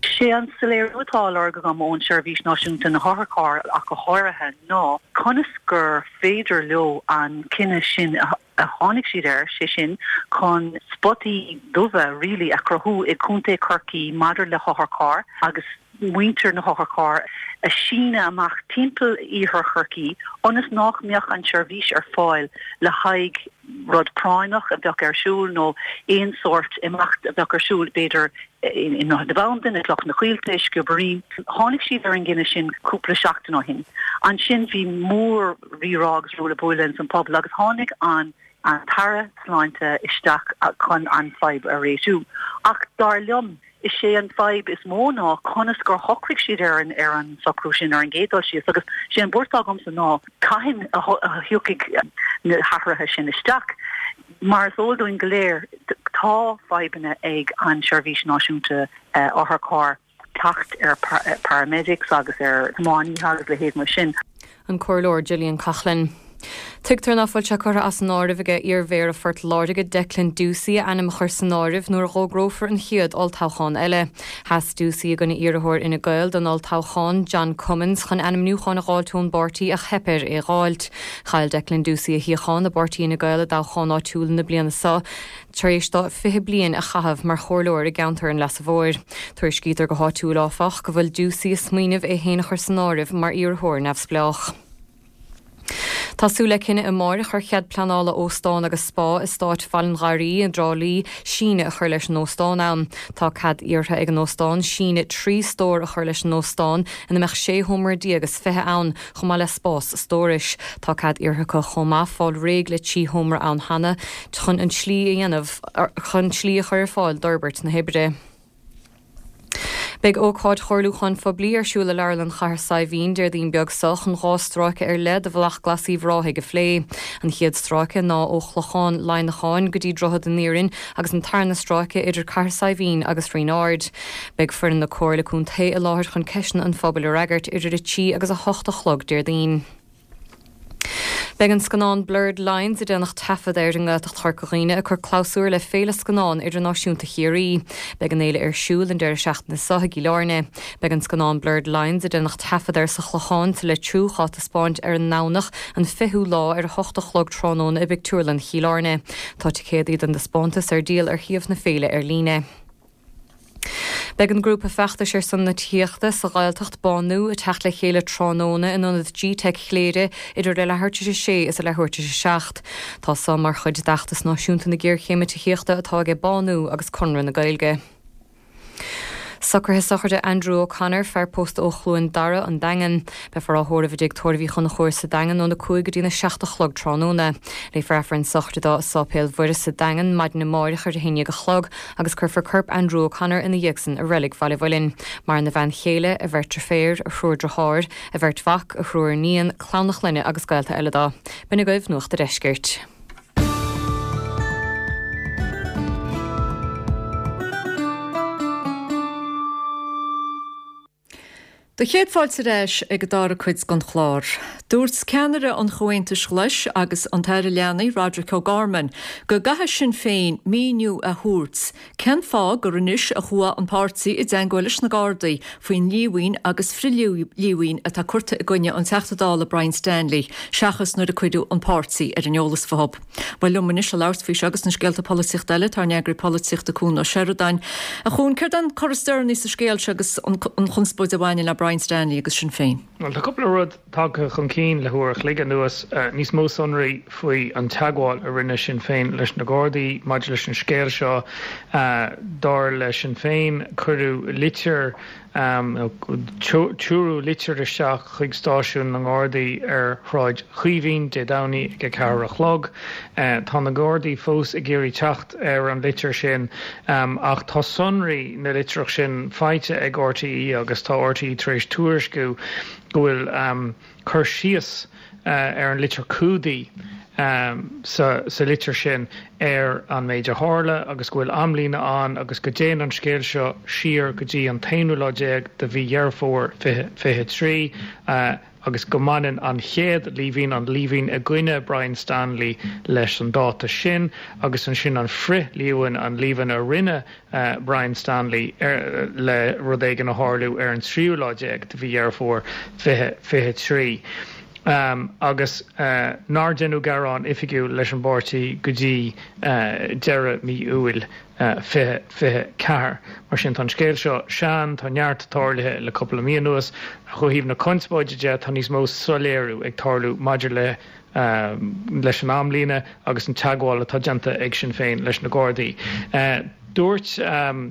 Sé an soiléiriú atá á lorg agam ón Seirbhís Náisiúnta na hOtharcharr ach go háirithe ná conas gur féidir leo an cinneadh sin a tháinig siad air, sé sin chun spotaí dubha really a chruthú i gContae Chorcaí maidir le hotharchairr agus muintir na hotharcharr a síneadh amach timpeall iarthar Chorcaí ionas nach mbeadh an tseirbhís ar fáil le haghaidh rud práinneach a bheadh ar siúl nó aon sórt imeacht a bheadh ar siúl b'fhéidir i nDroichead na Bandan, i gCloich na Coillte, i Sciobairín. Tháinig siad ar an gcinneadh sin cúpla seachtain ó shin. Ansin bhí mór rírá agus ruaille buaille ins an pobal agus tháinig an an tAire Sláinte isteach chun an fadhb a réitiú. Ach dar liom, is é an fadhb is mó ná conas gur shocraigh siad ar an ar an socrú sin ar an gcéad dul síos agus sé an buairt agamsa ná cathain a thiocfaidh na hathruithe sin isteach. Mar is eol dúinn go léir, Tá fadhbanna ag an Seirbhís Náisiúnta Otharcharr teacht ar paramedics agus ar thiománaithe agus leithéid mar sin. An Comhairleoir Gillian Coughlan. Tuigtear ná fuil sé curtha as an áireamh aige iar-mhéara Phort Láirge Declan Ducey a ainm a chur san áireamh nuair a fhógrófar an chéad olltoghchán eile. Sheas Ducey i gcoinne iarrthóir Fhine Gael don olltoghchán John Cummins chun ainmniúchán a dh'fháilt ón bpáirtí ach theip air é dh'fháilt. Chaill Declan Ducey a shuíochán i bpáirtí Fhine Gael i dtoghchán áitiúil na bliana seo tar éis dó fiche bliain a chaitheamh mar chomhairleoir i gceantar an Leasa Mhóir. Tuairiscítear go háitiúil áfach go bhfuil Ducey ag smaoineamh é féin a chur san áireamh mar iarrthóir neamhspleách. Tá súil le cinneadh amáireach ar chead pleanála óstán agus spá eastát Bhaile an Gharraí i dTrá Lí síneadh a chur leis an óstán ann. Tá cead iarrtha ag an óstán síneadh trí stór a chur leis an óstán ina mbeadh sé sheomra déag is fiche ann, chomh maith le spás stórais. Tá cead iarrtha acu chomh maith fáil réidh le trí sheomra ann cheana chun an tslí a dhéanamh chun slí a chur ar fáil d'fhorbairt na hoibre. Beidh ócáid chomhairliúcháin phoiblí ar siúl i Leabharlann Chathair Saidhbhín Déardaoin beag seo chun dhá stráice ar leith de Bhealach Glas Uíbh Ráthaigh a phlé. An chéad stráice ná ó Chlochán Laighneacháin go dtí Droichead an Iarainn agus an tarna stráice idir Cathair Saidhbhín agus Rinn Ard. Beidh foireann na Comhairle Contae i láthair chun ceisteanna an phobail a fhreagairt idir a trí agus a hocht a chlog Déardaoin. Beidh an scannán Blurred Lines a déanadh taifead air i nGaeltacht Chorca Dhuibhne ag cur clabhsúr le Féile Scannán Idirnáisiúnta Chiarraí. Beidh an fhéile ar siúl an deireadh seachtaine seo i gCill Airne. Beidh an scannán Blurred Lines a déanadh taifead air sa Chlochán sa Leitriúch á taispeáint ar an nDomhnach an fichiú lá ar a hocht a chlog tráthnóna i bPictiúrlann Chill Airne. Tá ticéadaí don taispeántas ar díol ar shuíomh na féile ar líne. Beidh an grúpa feachtais ar son na tithíochta sa Ghaeltacht Bánú ag teacht le chéile tráthnóna in ionad G-Teic Chléire idir a leathuair tar éis a sé is a leathuair tar éis a seacht. Tá seo mar chuid d'fheachtas náisiúnta na géarchéime tithíochta atá aige Bánú agus Conradh na Gaeilge. Socruithe sochraide Andrew O'Connor, fear pósta ó Chluain Dara, An Daingean. Beifear á thórramh i dtigh tórraimh Uí Chonchúir sa Daingean óna cúig go dtína seacht a chlog tráthnóna. Léifear Aifreann sochraide dó i Sáipéal Mhuire sa Daingean maidin amáireach ar a haon déag a chlog agus cuirfear corp Andrew O'Connor ina dhiaidh san i Reilig Bhaile Mhuilinn. Maireann a bhean chéile, a bheirt deirféar, a thriúr deartháir, a bheirt mhac, a thriúr iníon, clann a chlainne agus gaolta eile dó. B'in agaibh Nuacht a' Deiscirt. Do chéad fáilte ar ais ag an dara cuid den chlár. Dúirt ceannaire an Chomhaontais Ghlais agus an tAire Leanaí, Roderic O'Gorman, go gcaithfidh Sinn Féin míniú a thabhairt cén fáth gur anois a chuaigh an páirtí i dteagmháil leis na Gardaí faoin líomhain agus frithlíomhain atá curtha i gcoinne an Teachta Dála Brian Stanley seachas nuair a cuireadh an páirtí ar an eolas fúthu. Bhuel liom anois a labhairt faoi seo agus na scéalta polaitíochta eile tá ár n-eagraí polaitíochta Cuan Ó Seireadáin. A Chuain, céard é an cor is deireanaí sa scéal seo agus an chonspóid a bhaineann le Brian Stanley agus Sinn Féin? Bhuel, tá cúpla rud tagtha chun cinn le huair a chloig anuas, níos mó sonraí faoi an teagmháil a rinne Sinn Féin leis na Gardaí maidir leis an scéal seo. Dar le Sinn Féin, cuireadh litir Tuaireadh litir isteach chuig stáisiún na nGardaí ar Shráid Chaoimhín Dé Domhnaigh ag a ceathair a chlog. Tá na Gardaí fós ag iarraidh teacht ar an litir sin ach tá sonraí na litreach sin faighte ag R T E agus tá R T E tar éis tuairisciú go bhfuil cur síos ar an litir cumhdaigh sa sa litir sin ar an méid a tharla agus go bhfuil amlíne ann agus go dtéann an scéal seo siar go dtí an t-aonú lá déag de mhí Dheireadh Fómhair fiche fiche trí agus go mbaineann an chéad líomhain, an líomhain i gcoinne Brian Stanley leis an dáta sin agus ansin an frithlíomhain, an líomhain a rinne Brian Stanley le rud éigin a tharlú ar an tríú lá déag de mhí Dheireadh Fómhair fiche fiche trí. Agus nár deineadh gearán oifigiúil leis an bpáirtí go dtí deireadh mí Iúil fiche fiche ceathair. Mar sin, tá an scéal seo sean, tá neart tarlaithe le cúpla mí anuas. Ach ó thaobh na conspóide de, tá níos mó soiléiriú ag tarlú maidir le leis an amlíne agus an teagmháil atá déanta ag Sinn Féin leis na Gardaí. Dúirt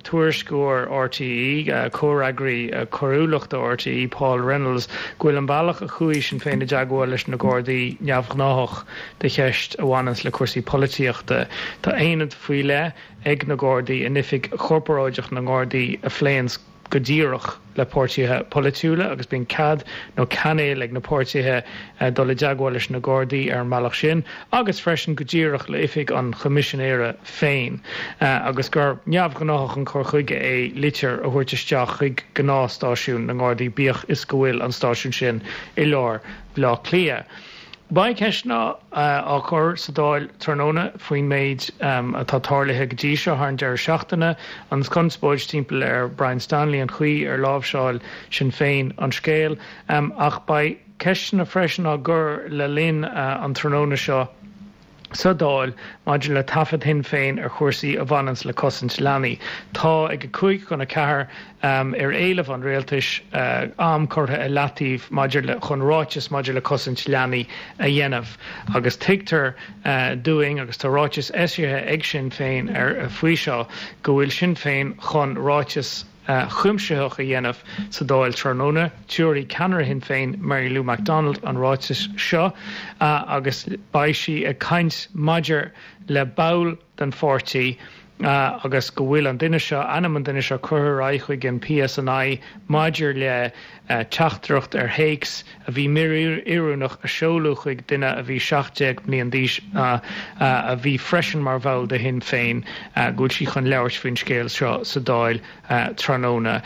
tuairisceoir R T E, comhfhreagraí coiriúlachta R T E, Paul Reynolds, go bhfuil an bealach a chuaigh Sinn Féin i dteagmháil leis na Gardaí neamhghnáthach do cheist a bhaineanns le cúrsaí polaitíochta. Tá aonad faoi leith ag na Gardaí in oifig chorparáideach na nGardaí a phléanns go díreach le páirtithe polaitiúla agus bíonn cead nó cainéil ag na páirtithe dul i dteagmháil leis na Gardaí ar an mbealach sin agus freisin go díreach le oifig an Choimisinéara féin agus gur neamhghnáthach an cur chuige é litir a thabhairt isteach chuig gnáthstáisiún na nGardaí bíodh is go bhfuil an stáisiún sin i lár Bhaile Átha Cliath. Beidh ceisteanna á chur sa Dáil tráthnóna faoin méid atá tarlaithe go dtí seo thar an deireadh seachtaine, an chonspóid timpeall ar Brian Stanley, an chaoi ar láimhseáil Sinn Féin an scéal. Ach beidh ceisteanna freisin á gcur le linn an tráthnóna seo sa Dáil maidir le taifead Shinn Féin ar chúrsaí a bhaineanns le cosaint leanaí. Tá ag a cúig chun a ceathair ar éileamh an rialtais am curtha i leataobh maidir le chun ráiteas maidir le cosaint leanaí a dhéanamh agus tuigtear dúinn agus tá ráiteas eisithe ag Sinn Féin ar faoi seo go bhfuil Sinn Féin chun ráiteas cuimsitheach a dhéanamh sa Dáil tráthnóna. Tabharfaidh ceannaire Shinn Féin Mary Lou McDonald an ráiteas seo agus beidh sí ag caint maidir le ball den pháirtí agus go bhfuil an duine seo, ainm an duine seo curtha ar aghaidh chuig an PSNI maidir le teachtaireacht ar théacs a bhí míoiriúnach a seoladh chuig duine a bhí seacht déag mbliain d'aois a bhí freisin mar bhall de Shinn Féin, go bhfuil sí chun labhairt faoin scéal seo sa Dáil tráthnóna.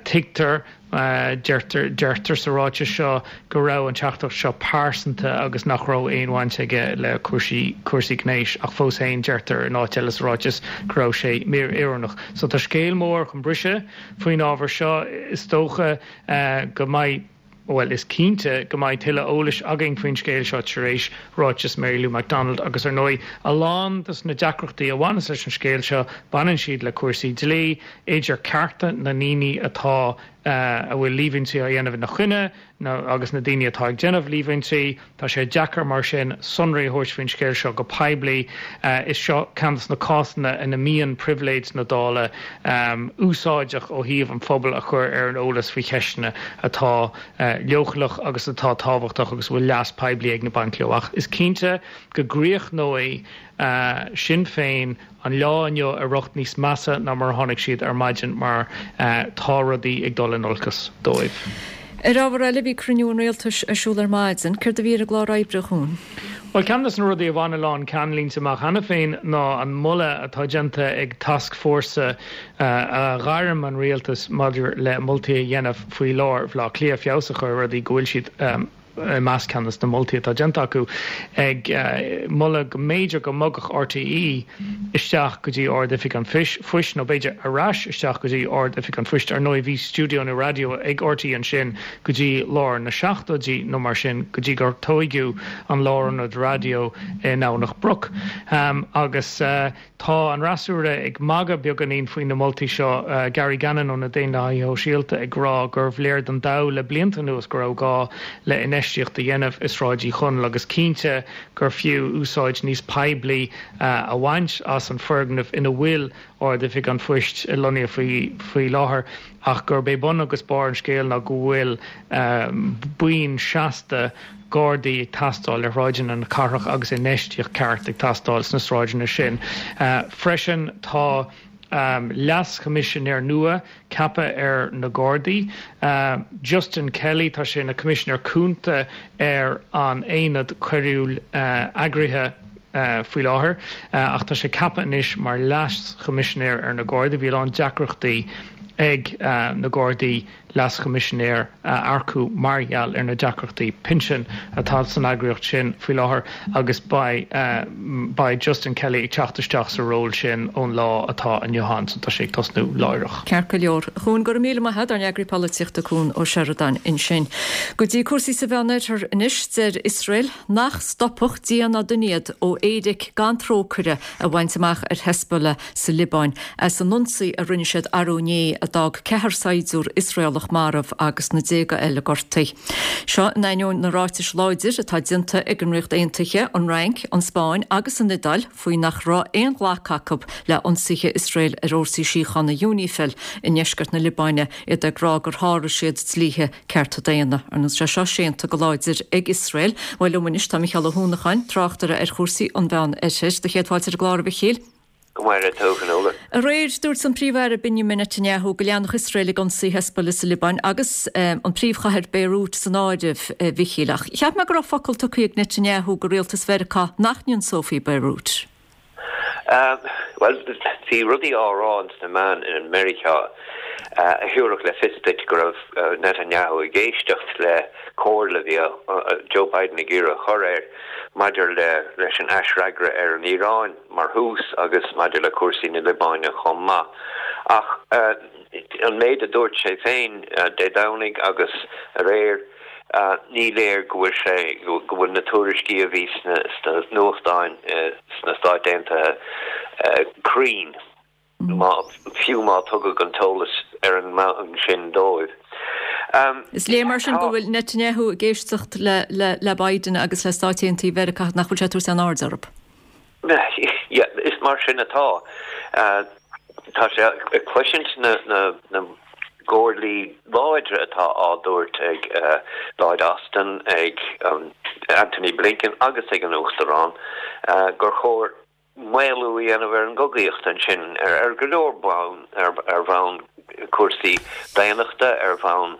Tuigtear Deirtear deirtear sa ráiteas seo go raibh an teachtaireacht seo pearsanta agus nach raibh aon bhaint aige le cúrsaí cúrsaí gnéis ach fós féin deirtear in áit eile sa ráiteas go raibh sé míoiriúnach. So tá scéal mór chun briseadh faoin ábhar seo. Is dócha go mbeidh, bhuel is cinnte go mbeidh tuilleadh eolais againn faoin scéal seo tar éis ráiteas Mary Lou McDonald agus ar ndóigh a lán de na deacrachtaí a bhaineas leis an scéal seo baineann siad le cúrsaí dlí, idir cearta na ndaoine atá a bhfuil líomhaintí á dhéanamh ina gcoinne agus na daoine atá ag déanamh líomhaintí. Tá sé deacair mar sin sonraí a thabhairt faoin scéal seo go poiblí. Is seo ceann de na cásanna ina mbíonn pribhléid na Dála úsáideach ó thaobh an phobal a chur ar an eolas faoi cheisteanna atá leochaileach agus atá tábhachtach agus a bhfuil leas poiblí ag baint leo. Ach is cinnte go gcríochnóidh Sinn Féin an lá inniu ar riocht níos measa ná mar a tháinig siad ar maidin mar tá rudaí ag dul in olcas dóibh. Ar ábhar eile, bhí cruinniú an Rialtais ar siúl ar maidin. Céard a bhí ar an gclár oibre, a Chuain? Bhuel, ceann de na rudaí a bhain a lán ceannlínte amach cheana féin ná an moladh atá déanta ag tascfhórsa a ghairm an rialtas maidir le moltaí a dhéanamh faoi lár Bhaile Átha Cliath, feabhas a chur ar rudaí go bhfuil siad i measc ceann de na moltaí atá déanta acu, ag moladh go mb'fhéidir go mbogfadh RTÉ isteach go dtí Ard-Oifig an Phoist, nó b'fhéidir ar ais isteach go dtí Ard-Oifig an Phoist. Ar ndóigh, bhí stiúideonna raidió ag RTÉ ansin go dtí lár na seachtóidí nó mar sin, go dtí gur tóigeadh an lárionad raidió i nDomhnach Broc. Agus tá an fhreasúra ag magadh beagáinín faoi na moltaí seo, Gary Gannon ó na Daonlathaithe Shóisialta ag rá gurbh léir don dall le blianta anuas go raibh gá le infheistíocht a dhéanamh i Sráid Uí Chonaill agus cinnte gur fiú úsáid níos poiblí a bhaint as an foirgneamh ina bhfuil Ard-Oifig an Phoist lonnaithe faoi láthair ach gurb é bun agus barr an scéil ná go bhfuil buíon seasta Gardaí ag teastáil ar shráideanna na cathrach agus infheistíocht ceart ag teastáil sna sráideanna sin. Freisin tá Leas-Choimisinéir nua ceaptha ar na Gardaí, Justin Kelly, tá sé ina Choimisinéir Cúnta ar an Aonad Coiriúil Eagraithe faoi láthair ach tá sé ceaptha anois mar Leas-Choimisinéir ar na Gardaí. Bhí a lán deacrachtaí ag na Gardaí Leas-Choimisinéir a earcú mar gheall ar na deacrachtaí pinsin atá san eagraíocht sin faoi láthair agus beidh beidh Justin Kelly ag teacht isteach sa ról sin ón lá atá inniu ann so tá sé ag tosnú láithreach. Ceart go leor. A Chuain, go raibh míle maith agat, ár n-eagraí polaitíochta Cuan Ó Seireadáin ansin. Go dtí cúrsaí sa Mheánoirthear anois, deir Iosrael nach stopfadh Dia ná duine iad ó éiric gan trócaire a bhaint amach ar Hezbollah sa Liobáin as an ionsaí a rinne siad arú inné a d'fhág ceathrar saighdiúr Iosraelach marbh agus na déaga eile gortaithe. Seo in ainneoin na ráitis láidir atá déanta ag an Ríocht Aontaithe, an Fhrainc, an Spáinn agus an Iodáil faoi nach raibh aon ghlacadh acu le ionsaithe Iosrael ar fhórsaí síochána UNIFIL i ndeisceart na Liobáine, iad ag rá gur sháraigh siad dlíthe cearta daonna. Ar ndóigh tá sé seo séanta go láidir ag Iosrael. Bhuel liom anois tá Micheál Ó hUanacháin, tráchtaire ar chúrsaí an Mheán Oirthir. Do chéad fáilte ar an gclár a Mhichíl. Go maire tú, a Fhionnuala. Aréir, dúirt an Príomh-Aire Benjamin Netanyahu go leanfadh Iosrael ag ionsaí Hezbollah sa Liobáin agus an príomhchathair Beirut san áireamh, a Mhichíl. Ach cheap mé go raibh focal tugtha ag Netanyahu go rialtas Mheiriceá nach n-ionsófaí Beirut. Bhuel, bhí rudaí á rá ins na meáin i Meiriceá a thabharfadh le fios duit go raibh Netanyahu ag éisteacht le comhairle a bhí Joe Biden ag iarraidh a chur air maidir leis an aisfhreagra ar an Iaráin mar thús agus maidir le cúrsaí na Liobáine chomh maith. Ach an méid a dúirt sé féin Dé Domhnaigh agus aréir, ní léir go bhfuil sé, go bhfuil na tuairiscí a bhí sna nuachtáin sna Stáit Aontaithe cruinn. fiú má tugadh an t-eolas ar an mbonn sin dóibh. Is léir mar sin go bhfuil Netanyahu ag éisteacht le Biden agus le Stáit Aontaithe Mheiriceá, nach bhfuil sé ag tabhairt aon aird orthu. Yeah, is mar sin atá. Tá sé ag cloisint na gcomhairlí láidre atá á dtabhairt ag Lloyd Austin, ag Antony Blinken agus ag an Uachtarán gur chóir maolú a dhéanamh ar an gcogaíocht ansin ar go leor bonn, ar bhonn cúrsaí daonnachta, ar bhonn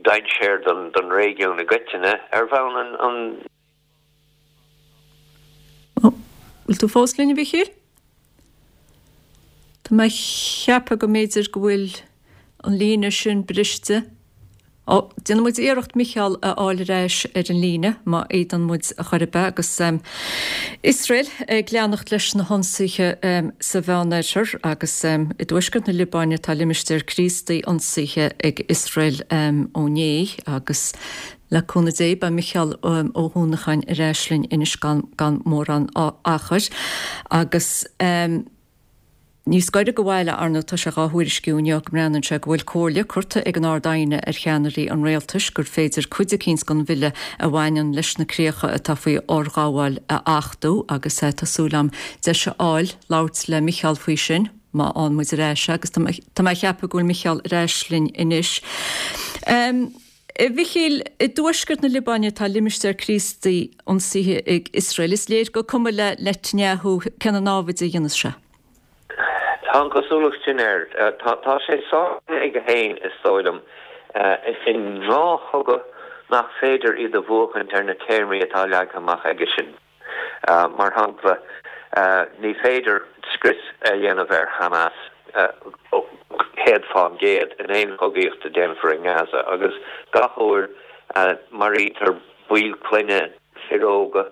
dainséar don réigiún i gcoitinne, ar bhonn an. Bhfuil tú fós linn, a Mhichíl? Tá mé a cheapadh go mb'fhéidir go bhfuil an líne sin briste. Ó, déanfaidh muid iarracht Micheál a fháil ar ais ar an líne, má fhéadann muid a chor ar bith, agus Iosrael ag leanacht leis na hionsaithe sa Mheánoirthear agus i dtuaisceart na Liobáine tá limistéar Críostaí ionsaithe ag Iosrael ó inné agus le cúnamh Dé beidh Micheál Ó hUanacháin ar ais linn anois gan mórán achair agus. Níos gaire do bhaile, ar ndóigh, tá sé dhá thuairisciú inniu go mbreathnaíonn sé go bhfuil comhairle curtha ag an Ard-Aighne ar cheannairí an rialtais gur féidir cuid eicínt den bhille a bhaineann leis na críocha atá faoi fhorghabháil a achtú agus tá súil agam deis a fháil labhairt le Micheál faoi sin má fhaigheann muid ar ais é agus tá mé a cheapadh go bhfuil Micheál ar ais linn anois. A Mhichíl, i dtuaisceart na Liobáine tá limistéar Críostaí ionsaithe ag Iosrael. Is léir gur cuma le Netanyahu cé na námhaid a dhéanas sé. Tá an chosúlacht sin air. Tá sé sáinnithe aige féin, is dóigh liom, in dhá chogadh nach féidir iad a bhuachaint ar na téarmaí atá leagtha amach aigesean. Mar shampla, ní féidir scrios a dhéanamh ar Hamas céad fán gcéad in aon chogaíocht a déanfar i nGaza agus gach uair a maraítear baill clainne, fir óga,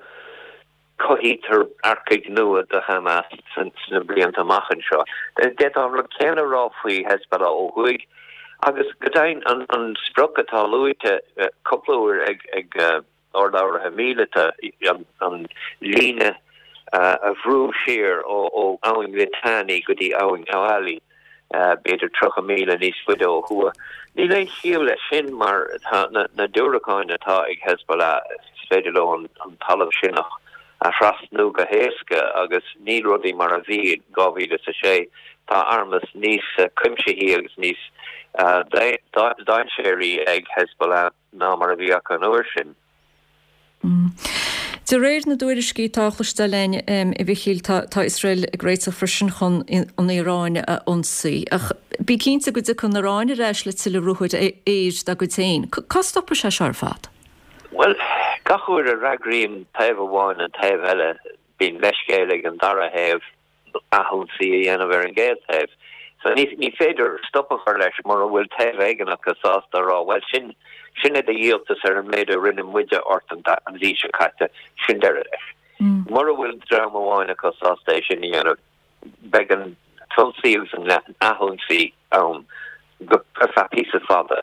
Cothaítear earcaigh nua do Hamas sna blianta amach anseo. D'fhéadfá an rud céanna a rá faoi Hezbollah ó thuaidh agus go deimhin an sprioc atá luaite cúpla uair ag urlabhraithe míleata, an líne a bhrú siar ó Abhainn Litani go dtí Abhainn Awali, b'fhéidir tríocha míle níos faide ó thuaidh. Níl aon chiall leis sin mar tá na diúracáin atá ag Hezbollah, is féidir leo an talamh sin a thrasnú go héasca agus níl rudaí mar a bhí in dhá mhíle is a sé. Tá armas níos cuimsithí agus níos dainséaraí ag Hezbollah ná mar a bhí acu an uair sin. De réir na dtuairiscí atá á chloisteáil againn, a Mhichíl, tá Iosrael ag réiteach freisin chun an Iaráin a ionsaí. Ach bí cinnte go dtiocfaidh an Iaráin ar ais le tuilleadh ruathair aeir dá gcuid féin. Cá stopfaidh sé seo ar fad? Bhuel, gach uair a fhreagraíonn taobh amháin an taobh eile, bíonn leithscéal ag an dara thaobh. athionsaí a dhéanamh ar an gcéad taobh. So ní ní féidir stop a chur leis mura bhfuil taobh éigin acu sásta a rá, bhuel, sin sin é do dhíoltas ar an méid a rinne muide ort an an mhí seo caite, sin deireadh leis. Mura bhfuil dream amháin acu sásta é sin a dhéanamh, beidh an t-ionsaí agus an athionsaí ann go ar feadh píosa fada.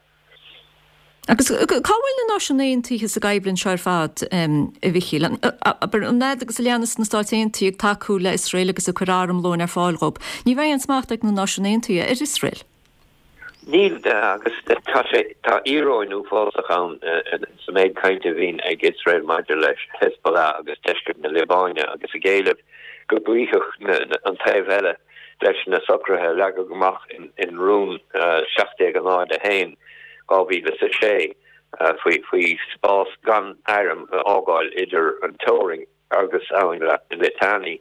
Agus cá bhfuil na Náisiúin Aontaithe sa gcoimhlint seo ar fad, a Mhichíl? Abair, an fhad agus a leanas na Stáit Aontaithe ag tacú le Iosrael agus ag cur armlóin ar fáil dhób, ní bheidh aon smacht ag na Náisiúin Aontaithe ar Iosrael. Níl, agus tá sé, tá íoróin uafásach ann sa méid cainte a bhíonn ag Iosrael maidir le Hezbollah agus deisceart na Liobáine agus ag éileamh go gcloífeadh an taobh eile leis na socruithe a leagadh amach in Rún seacht déag a náid a haon, dhá mhíle is a sé faoi spás gan airm a fhágáil idir an teorainn agus Abhainn Litani.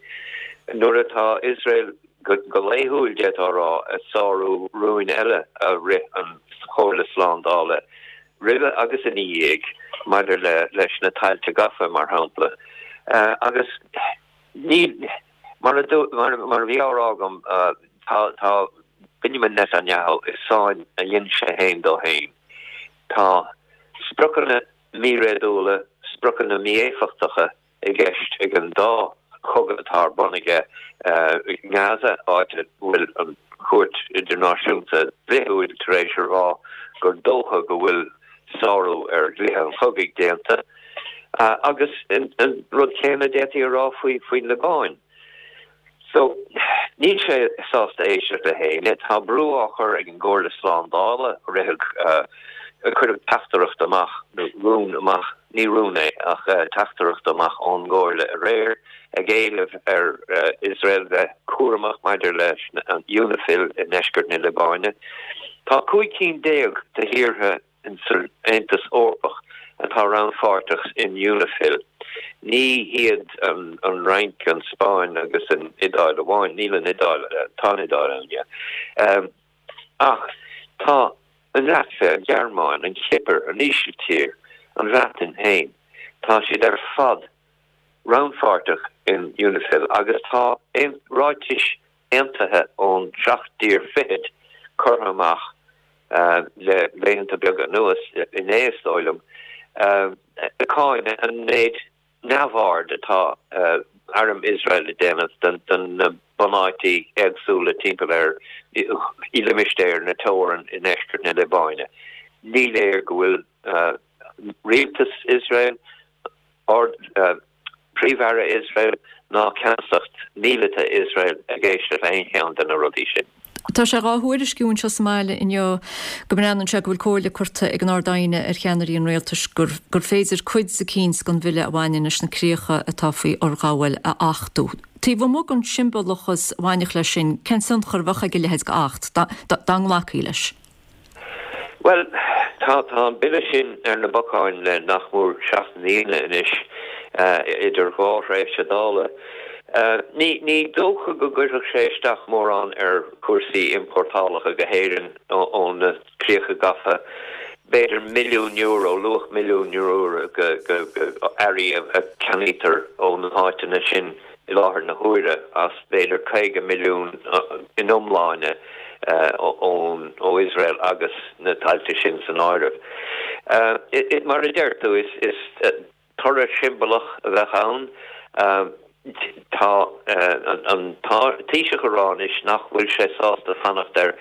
Nuair atá Iosrael go laethúil, d'fhéadfá a rá, ag sárú rúin eile a rith an Chomhairle Slándála roimhe agus ina dhiaidh maidir le leis na tailte gafa, mar shampla. Agus ní, mar a mar a bhí á rá agam, tá tá Benjamin Netanyahu i sáinn a dhein sé féin dó féin. Tá spriocanna míréadúla, spriocanna mí-éifeachtacha i gceist ag an dá chogadh atá ar bun aige i nGaza, áit a bhfuil an Chúirt Idirnáisiúnta Dhlíthiúil tar éis a rá gur dócha go bhfuil sárú ar dhlíthe an chogaidh déanta, agus an rud céanna d'fhéadfaí a rá faoin Liobáin. So, níl sé sásta éisteacht le héinne. Tá brú á chur ag an gComhairle Slándála, ritheadh, cuireadh teachtaireacht amach, nó rún amach, ní rún é, ach teachtaireacht amach ón gComhairle aréir ag éileamh ar Iosrael bheith cúramach maidir leis an UNIFIL i ndeisceart na Liobáine. Tá cúig cinn déag de thíortha san Aontas Eorpach atá rannpháirteach in UNIFIL. Ní hiad an Fhrainc, an Spáinn agus an Iodáil amháin, níl an Iodáil, tá an Iodáil ann, yeah, ach tá an Laitvia, an Ghearmáin, an Chipir, an Ísiltír, an Bhreatain féin, tá siad ar fad rannpháirteach in UNIFIL agus tá ráitis aontaithe ón seacht dtír fichead curtha amach le laethanta beaga anuas, inné is dóigh liom, ag cáineadh an méid neamhaird atá arm Iosrael ag déanamh de na bunáití éagsúla timpeall ar i limistéar na teorann i ndeisceart na Liobáine. Ní léir go bhfuil rialtas Iosrael, Príomh-Aire Iosrael ná ceannasacht míleata Iosrael ag éisteacht le haon cheann de na rudaí sin. Tá sé dhá thuairisciú anseo sa mbaile inniu go mbreathnaíonn sé go bhfuil comhairle curtha ag an Ard-Aighne ar cheannairí an rialtais gur gur féidir cuid eicínt den bhille a bhaineann leis na críocha atá faoi fhorghabháil a achtú. Taobh amuigh den siombalachas a bhainfeadh leis sin, cén tionchar a bheadh ag a leithéid d'acht, dá nglacfaí leis? Bhuel, tá tá an bille sin ar na bacáin le nach mór seacht mbliana anois, idir dhá thréimhse Dála. Ní ní dócha go gcuirfeadh sé isteach mórán ar chúrsaí iompórtálacha go hÉirinn ó na críocha gafa, b'fhéidir milliún euro, luach milliún euro go go earraí a cheannaítear ó na háiteanna sin i láthair na huaire, as b'fhéidir caoga milliún in iomláine ón ó Iosrael agus na tailte sin san áireamh. Mar a deir tú, is is toradh siombalach a bheadh ann. Tá an Taoiseach ag rá anois nach bhfuil sé sásta fanacht ar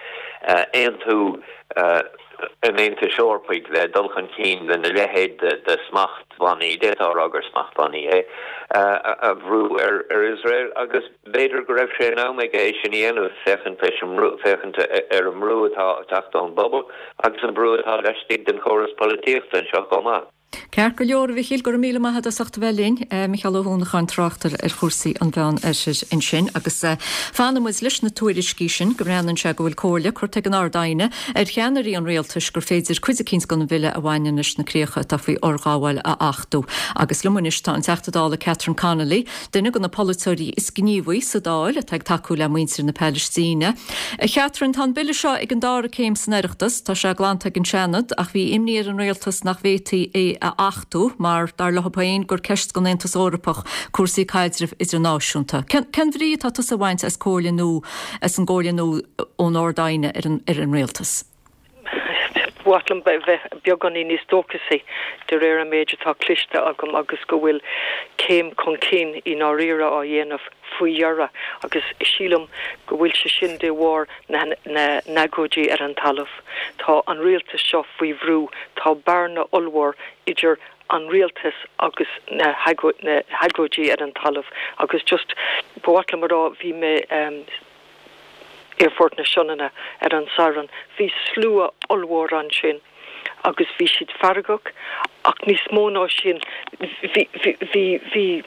aontú an Aontais Eorpaigh le dul chun cinn lena leithéid de smachtbhannaí, d'fhéadfá a rá gur smachtbhannaí é, a bhrú ar Iosrael agus b'fhéidir go raibh sé in am aige é sin a dhéanamh féachaint leis an mbrú, féachaint ar an mbrú atá ag teacht ón bpobal agus an brú atá laistigh den chóras polaitíochta anseo chomh maith. Ceart go leor, a Mhichíl, go raibh míle maith agat as ucht a bheith linn. Micheál Ó hUanacháin, tráchtaire ar chúrsaí an Mheán Oirthir ansin. Agus fanfaidh muid leis na tuairiscí sin go mbreathnaíonn sé go bhfuil comhairle curtha ag an Ard-Aighne ar cheannairí an rialtais gur féidir cuid eicínt den bhille a bhaineann leis na críocha atá faoi fhorghabháil a achtú. Agus liom anois tá an Teachta Dála Catherine Connolly, duine de na polaiteoirí is gníomhaí sa Dáil atá ag tacú le muintir na Palaistíne. A Chatherine, tá an bille seo ag an dara céim san Oireachtas, tá sé glanta ag an Seanad, ach bhí imní ar an rialtas nach bhféadfaí é a achtú mar, dar leo féin, gur ceist don Aontas Eorpach cúrsaí caidrimh idirnáisiúnta. Cén bhrí atá tusa a bhaint as comhairle nua, as an gcomhairle nua ón Ard-Aighne ar an ar an rialtas? Ba mhaith liom bheith beagáinín níos dóchasaí de réir an méid atá cloiste agam agus go bhfuil céim chun cinn i ndáiríre á dhéanamh faoi dheireadh agus sílim go bhfuil sé sin de bharr na n-agóidí ar an talamh. Tá an rialtas seo faoi bhrú, tá bearna ollmhór idir an rialtas agus na hagóidí ar an talamh agus just ba mhaith liom a rá bhí mé Aerfort na Sionainne ar an Satharn. Bhí slua ollmhór ansin agus bhí siad feargach ach níos mó ná sin bhí, bhí, bhí, bhí,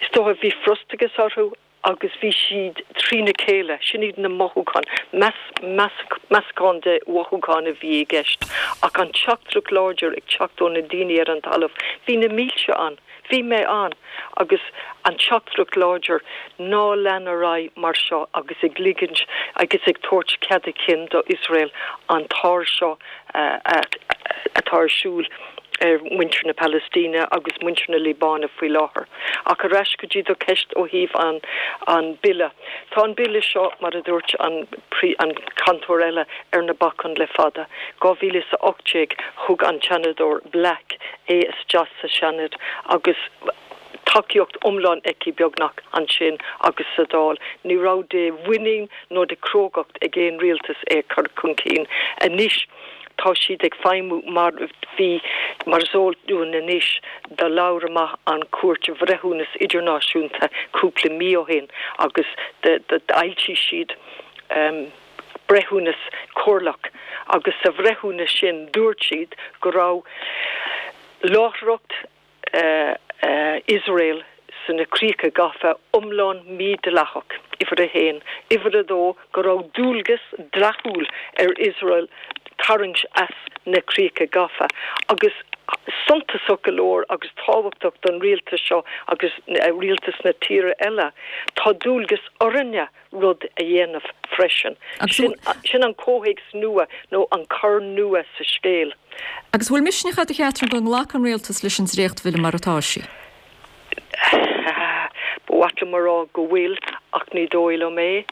is dócha bhí frustrachas orthu agus bhí siad trína chéile, sin iad na mothúcháin, meascán de mhothúcháin a bhí i gceist ach an teachtaireacht láidir ag teacht ó na daoine ar an talamh, bhí na mílte ann, Bhí mé ann agus an teachtaireacht láidir ná lean ar aghaidh mar seo agus ag ligint agus ag tabhairt cead a chinn do Iosrael an t-ár seo atá ar siúl ar mhuintir na Palaistíne agus muintir na Liobáine faoi láthair. Ach ar ais go dtí do cheist ó thaobh an an bille. Tá an bille seo, mar a dúirt an an cainteoir eile, ar na bacáin le fada. dhá mhíle is a ocht déag thug an Seanadóir Black é isteach sa Seanad agus tacaíocht iomlán aici beagnach ansin agus sa Dáil. Ní raibh de mhuinín nó de chrógacht ag aon rialtas é a chur chun cinn. Anois tá siad ag feidhmiú mar bhí, mar is eol dúinn anois, do labhair amach an Chúirt Bhreithiúnas Idirnáisiúnta cúpla mí ó shin agus d'fhoilsigh siad breithiúnas comhairleach agus sa bhreithiúnas sin dúirt siad go raibh láithreacht Iosrael sna críocha gafa iomlán mídhleathach, uimhir a haon. Uimhir a dó, go raibh dualgas dleathúil ar Iosrael tarraingt as na críocha gafa. Agus suntasach go leor agus tábhachtach don rialtas seo agus rialtas na tíre eile, tá dualgas orainne rud a dhéanamh freisin. Sin an comhthéacs nua nó an cor nua sa scéal. Agus bhfuil misneach agat, a Chatherine, go nglacfaidh an rialtas leis an dréachtbhille mar atá sé? Ba mhaith liom a rá go bhfuil, ach ní dóigh liom é.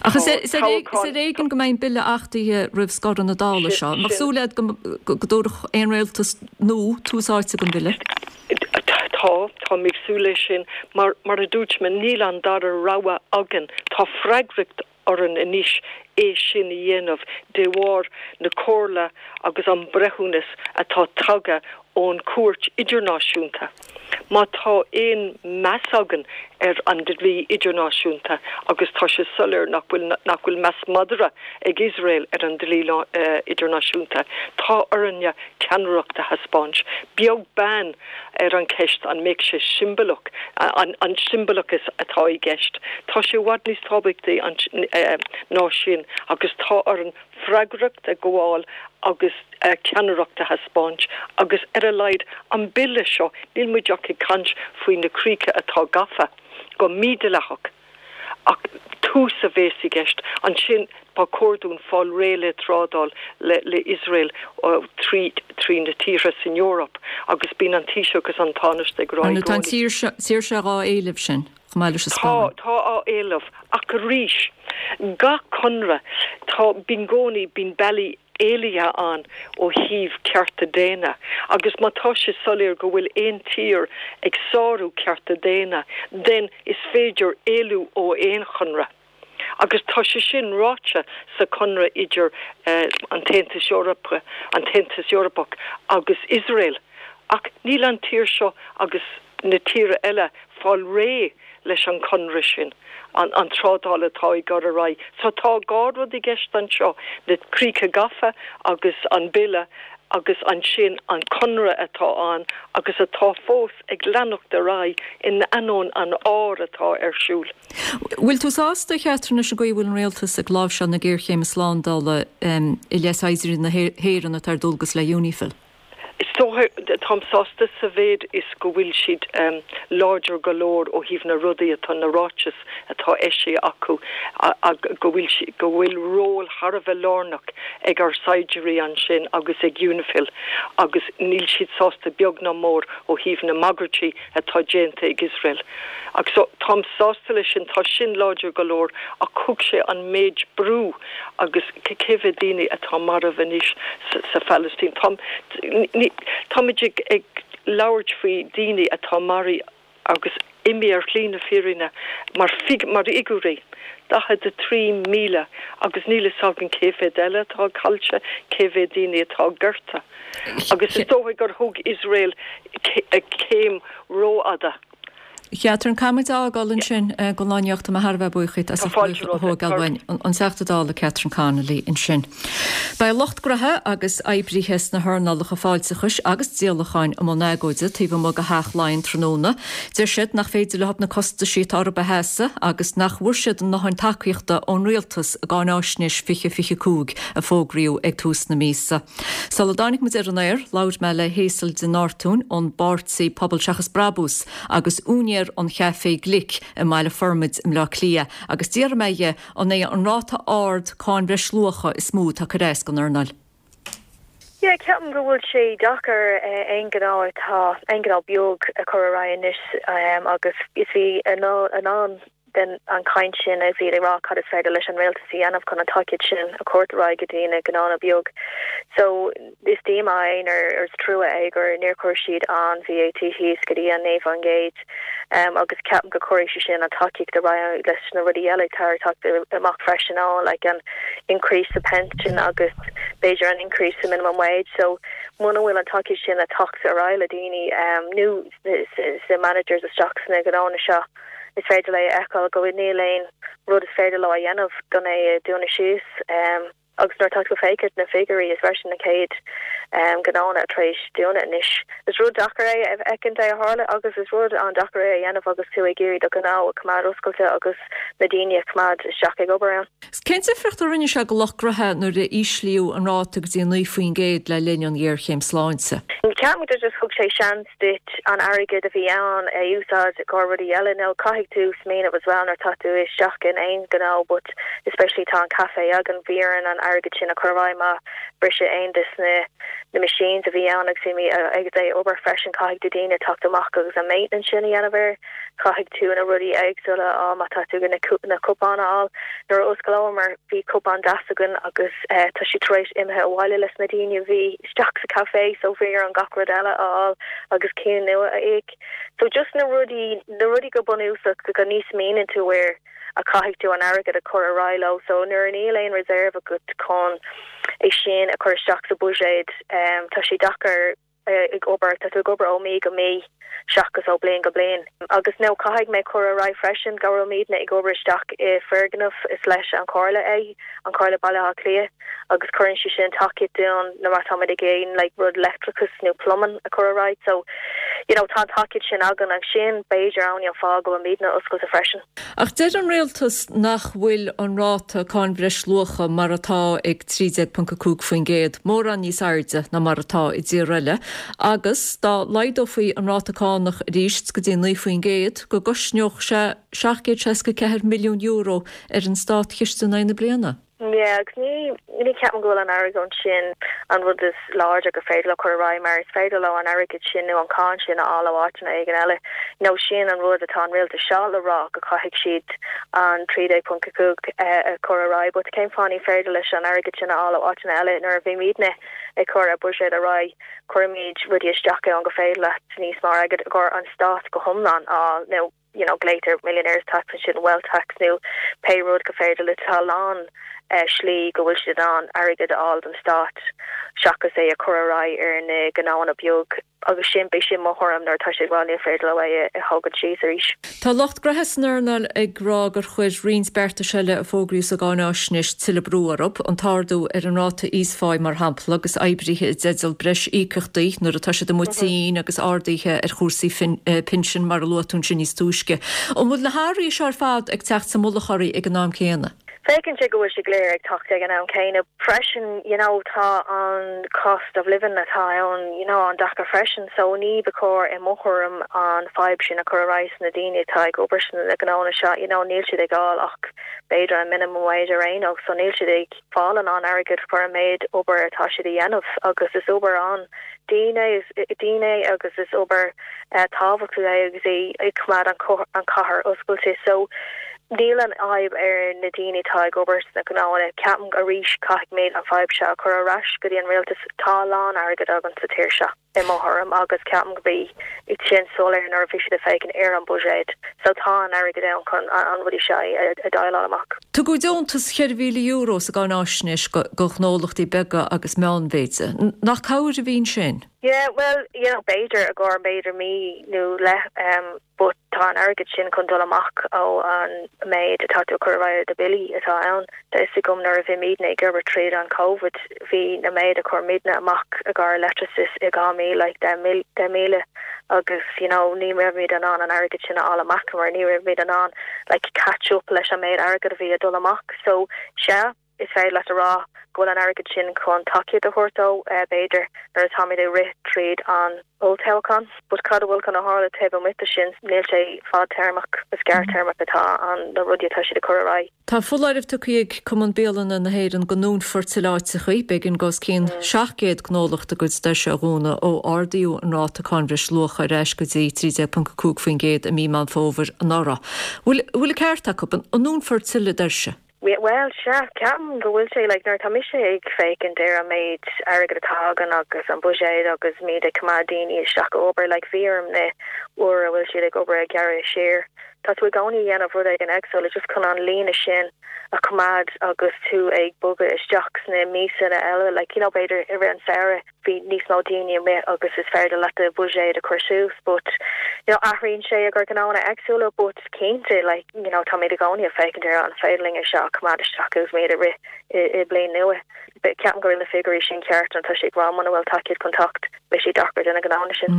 Ach is ar éigean go mbeidh an bille achtaithe roimh scoradh na Dála seo. An mbeadh súil agat go dtabharfadh aon rialtas nua tús áite don bhille? Tá, táim ag súil leis sin. Mar mar a dúirt mé, níl an dara rogha againn. Tá freagracht orainn anois é sin a dhéanamh de bharr na comhairle agus an breithiúnas atá tagtha ón Chúirt Idirnáisiúnta. Má tá aon meas againn ar an dlí idirnáisiúnta, agus tá sé soiléir nach bhfuil nach bhfuil meas madra ag Iosrael ar an dlí idirnáisiúnta, tá orainne ceannaireacht a thaispeáint, beag beann ar an cheist an mbeidh sé siombalach, an an siombalachas atá i gceist. Tá sé i bhfad níos tábhachtaí ná sin agus tá orainn freagracht a ghabháil agus ceannaireacht a thaispeáint agus ar a laghad an bille seo, níl muid ach ag caint faoi na críocha atá gafa go mídhleathach ach tús a bheas i gceist. Ansin ba chóir dúinn fáil réidh le trádáil le le Iosrael trí trí na tíortha san Eoraip agus bíonn an Taoiseach agus an Tánaiste ag rá i Tá an gcónaí. tír seo dhá éileamh sin chomh maith leis an Tá, Spáinn. tá á éileamh ach arís gach conradh tá bíonn i gcónaí bíonn bealaí éalaithe ann ó thaobh cearta daonna agus má tá sé soiléir go bhfuil aon tír ag sárú cearta daonna then is féidir éalú ó aon chonradh. Agus tá sé sin ráite sa chonradh idir an tAontas Eorpach, an tAontas Eorpach agus Iosrael. Ach níl an tír seo agus na tíortha eile fáil réidh leis an chonradh sin, an an trádáil atá ag dul ar aghaidh. So tá dhá rud i gceist anseo, na críocha gafa agus an bille agus ansin an conradh atá ann agus atá fós ag leanacht ar aghaidh in ainneoin an áir atá ar siúl. Bhfuil tú sásta, a Chatherine, leis an gcaoi a bhfuil an rialtas ag láimhseáil na géarchéime slándála i leith saighdiúirí na hÉireann atá ar dualgas le UNIFIL? Is dócha, táim sásta sa mhéid is go bhfuil siad láidir go leor ó thaobh na rudaí atá, na ráitis atá eisithe acu, go bhfuil go bhfuil ról thar a bheith lárnach ag ár saighdiúirí ansin agus ag UNIFIL agus níl siad sásta beag ná mór ó thaobh na mbagairtí atá déanta ag Iosrael. Agus so táim sásta leis sin, tá sin láidir go leor ach thug sé an méid brú agus cé mhéad daoine atá marbh anois sa Phalaistín. Táim, ní, táimid ag, ag labhairt faoi daoine atá maraithe agus imithe ar shlí na fírinne mar fig, mar fhigiúirí, daichead a trí míle agus níl fhios againn cé mhéad eile atá caillte, cé mhéad daoine atá gortaithe. Agus is dóigh gur thug Iosrael céim rófhada. Catherine, caithfidh muid a fhágáil ansin don lá inniu. Tá mé thar a bheith buíoch díot as ucht a thógáil uainn an Teachta Dála Catherine Connolly ansin. Beidh lucht gnoithe agus oibrithe sna hearnálacha fáilteachais agus díolacháin i mbun agóide taobh amuigh de Theach Laighean tráthnóna. Deir siad nach féidir leo na costaisí atá orthu a sheasamh agus nach bhfuair siad a ndóthain tacaíochta ón rialtas i gcáináisnéis fiche fiche cúig a fógraíodh ag tús na míosa. Sula dtáinig muid ar an aer, labhair mé le Hazel de Nortúin ón bpáirtí Pobal Seachas Brabús agus úinéir an Chaifé Glic i mBaile Formaid i mBleá Cliath agus d'fhiafraigh mé dhe an é an ráta ard cáin bhreisluacha is mó atá ag cur as don earnáil. Yeah, ceapaim go bhfuil sé deacair aon ghnó atá aon ghnó beag a chur ar aghaidh anois agus is bhí in ann den an chaint sin a bhí ag rá cad is féidir leis an rialtas a dhéanamh chun an tacaíocht sin a chur ar aghaidh go dtí na gnónna beag. So is díomá é nó is trua é gur níor chuir siad an VAT thíos go dtí an naoi faoin gcéad um, agus ceapaim go gcuirfidh sé sin an tacaíocht ar aghaidh leis na rudaí eile atá ag teacht amach freisin ann like an increase sa pension agus b'fhéidir an increase sa minimum wage so muna bhfuil an tacaíocht sin ag teacht ar aghaidh le daoine um, nó sa managers isteach sna gnónna seo is féidir le feiceáil go bhfuil níl aon rud is féidir leo a dhéanamh gan é a dúnadh síos um, agus nuair atá tú ag féachaint na figiúirí is freisin na céad um, gnónna tar éis dúnadh anois. Is rud deacair é a fheiceáil é a tharla agus is rud an-deacair é a dhéanamh agus tú ag iarraidh do ghnó a choimeád oscailte agus na daoine a choimeád isteach ag obair ann. Cén difríocht a rinne sé do lucht gnoithe nuair a íslíodh an ráta go dtí naoi faoin gcéad le linn an ghéarchéim sláinte? Ceapaim gur just thug sé seans duit an airgead a bhí ann a úsáid go rudaí eile nó caithfidh tú smaoineamh as well nuair tá tú isteach in aon ghnó but especially tá an café againn bhí orainn an airgead sin a chur ar aghaidh má briseadh aon des na na machines a bhí ann agus bhí ag é obair freisin caithfidh tú daoine teacht amach agus an maintenance sin a dhéanamh air caithfidh tú na rudaí éagsúla á má tá tú na na cupáin a fháil nuair a osclaíomar bhí cupán deas againn agus eh, tá sé tar éis imithe abhaile leis na daoine bhí isteach sa café so bhí orainn gach rud eile a fháil agus cinn nua a íoc. So just na rudaí na rudaí go bunúsach go ní smaoiníonn tú air a caithfidh tú an airgead a chur ar aghaidh leo so nuair níl aon reserve agat chun é sin a chur isteach sa bhuiséad um, tá sé deacair uh, ag obair tá tú ag obair ó mí go mí seachas ó bliain go bliain. Agus nó caithfidh mé chur ar aghaidh freisin go raibhimidne ag obair isteach i foirgneamh is leis an Chomhairle é an Chomhairle Baile Átha Cliath agus cuireann sé sin tacaíocht dúinn nuair atáimid ag aon like, rud leictreachas nó plumbing a chur ar aghaidh so you know, tá tacaíocht sin againn ach sin b'fhéidir an an fáth go bhfuilimidne oscailte freisin. Ach deir an rialtas nach bhfuil an ráta cáin bhreisluacha mar atá ag trí déag ponc a cúig faoin gcéad mórán níos airde ná mar atá i dtír eile, agus dá laghdófaí an ráta cánach arís go dtí naoi faoin gcéad go gcosnódh sé seacht gcéad seasca ceathair milliún euro ar an státchiste in aghaidh na bliana. Yeah, agus ní ní ceapaim go bhfuil an airgead sin an rud is láidir gur féidir le chur ar aghaidh mar is féidir leo an airgead sin nó an cáin sin a fháil ó áiteanna éigin eile. Nó sin an rud atá an rialtas seo le rá go caithfidh siad an trí déag ponc a cúig a chur ar aghaidh, but cén fáth ní féidir leis an airgead sin a fháil ó áiteanna eile nuair a bhímidne ag cur an buiséad ar aghaidh cuirimid rudaí isteach ann go féidir leat níos mó airgead a chur an stát go hiomlán á nó you know, glaotar millionaires tax sin wealth tax nó pé rud go féidir le tá lán uh, slí go bhfuil siad an airgead a fháil don stát seachas é a chur ar aghaidh ar na gnónna beag agus sin b'é sin mo thuairim nuair tá sé bhfuil ní féidir leo é a thógáil síos arís. Tá lucht gnoithe san earnáil ag rá gur chuir roinnt beartais eile a fógraíodh sa gcáináisnéis tuilleadh brú orthu, an t-ardú ar an ráta íosphá mar shampla agus oibrithe i dteideal breis íocaíochtaí nuair atá siad amuigh tinn agus arduithe ar chúrsaí pinsin mar a luaigh tú ansin níos túisce. An bhfuil na hathruithe seo ar fad ag teacht sa mullach oraibh ag an am céanna? Féachann sé go bhfuil sé go léir ag teacht ag an am céanna. Freisin you know, tá an cost of living atá ann you know, an-deacair freisin, so ní ba chóir i mo thuairim an fadhb sin a chur ar aghaidh na daoine atá ag obair sna gnónna seo, you know, níl siad ag fháil ach b'fhéidir an minimum wage ar aon nós, so níl siad ag fáil an an airgead chun an méid obair atá siad a dhéanamh agus is obair an-dian dian agus is obair uh, tábhachtach é agus é ag coimeád an, an chathair oscailte. So níl an fhadhb ar na daoine atá ag obair sna gnónna ceapaim arís caithfimid an fhadhb seo a chur ar ais go dtí an rialtas tá lán airgead againn sa tír seo i mo thuairim agus ceapaim go bhí sin soiléir nuair a bhí siad ag féachaint ar an buiséad so tá an airgead ann chun an rudaí seo a déileáil amach. Tugadh deontas ceithre mhíle euro sa gcáináisnéis go gnólachtaí beaga agus meánmhéide. Nach cabhair a bhí ansin? Yeah, well, you know, b'fhéidir a gcóir b'fhéidir mí nó leith um, but tá an airgead sin chun dul amach ó an méid atá tú chur ar aghaidh do billí atá ann. Tá fhios agam nuair a bhí muidne ag obair tríd an Covid bhí na méid a chuir muidne amach i gcomhair leictreachas i dhá mí like deich míle agus you know ní raibh muid in ann an airgead sin a fháil amach mar ní raibh muid in ann like catch up leis an méid airgead a bhí ag dul amach so sea is féidir leat a rá go bhfuil an airgead sin chun tacaíocht a thabhairt dó b'fhéidir nuair atáimid ag rith tríd an olltoghchán. But cad a bhfuil chun a tharla taobh amuigh de sin, níl sé fadtéarmach, is gearrthéarmach atá an na rudaí atá siad ag cur ar aghaidh. Tá foláireamh tugtha ag Cumann Bialanna na hÉireann go ndúnfar tuilleadh áiteachaí, b'éigean go os cionn seacht gcéad gnólacht a gcuid doirse a dhúnadh ó ardaíodh an ráta cáin bhreisluacha ar ais go dtí trí déag ponc a cúig faoin gcéad i mí Meán Fómhair anuraidh. Bhfuil an ceart acu? An ndúnfar tuilleadh doirse? Bhuel, sea, ceapaim go bhfuil sé, like, nuair atá mise ag féachaint ar an méid airgead atá againn agus an buiséad agus muid ag coimeád daoine isteach ag obair, like, bhí orm na uair a bhfuil siad ag obair ag gearradh siar, tá tú i gcónaí ag déanamh rud éigin éagsúil just chun an líne sin a choimeád agus tú ag bogadh isteach sna míosanna eile, like, you know, b'fhéidir i rith an samhradh. bhí níos mó daoine amuigh agus is féidir leat do bhuiséad a chur suas but you know athraíonn sé i gcomhair gnóanna éagsúla but cinnte like you know táimid i gcónaí ag féachaint ar an féidir linn é seo a choimeád isteach agus muid ag rith i i bliain nua. But ceapaim go bhfuil na figiúirí sin ceart nó tá sé ag rá muna bhfuil tacaíocht chun teacht beidh sé deacair do na gnóanna sin.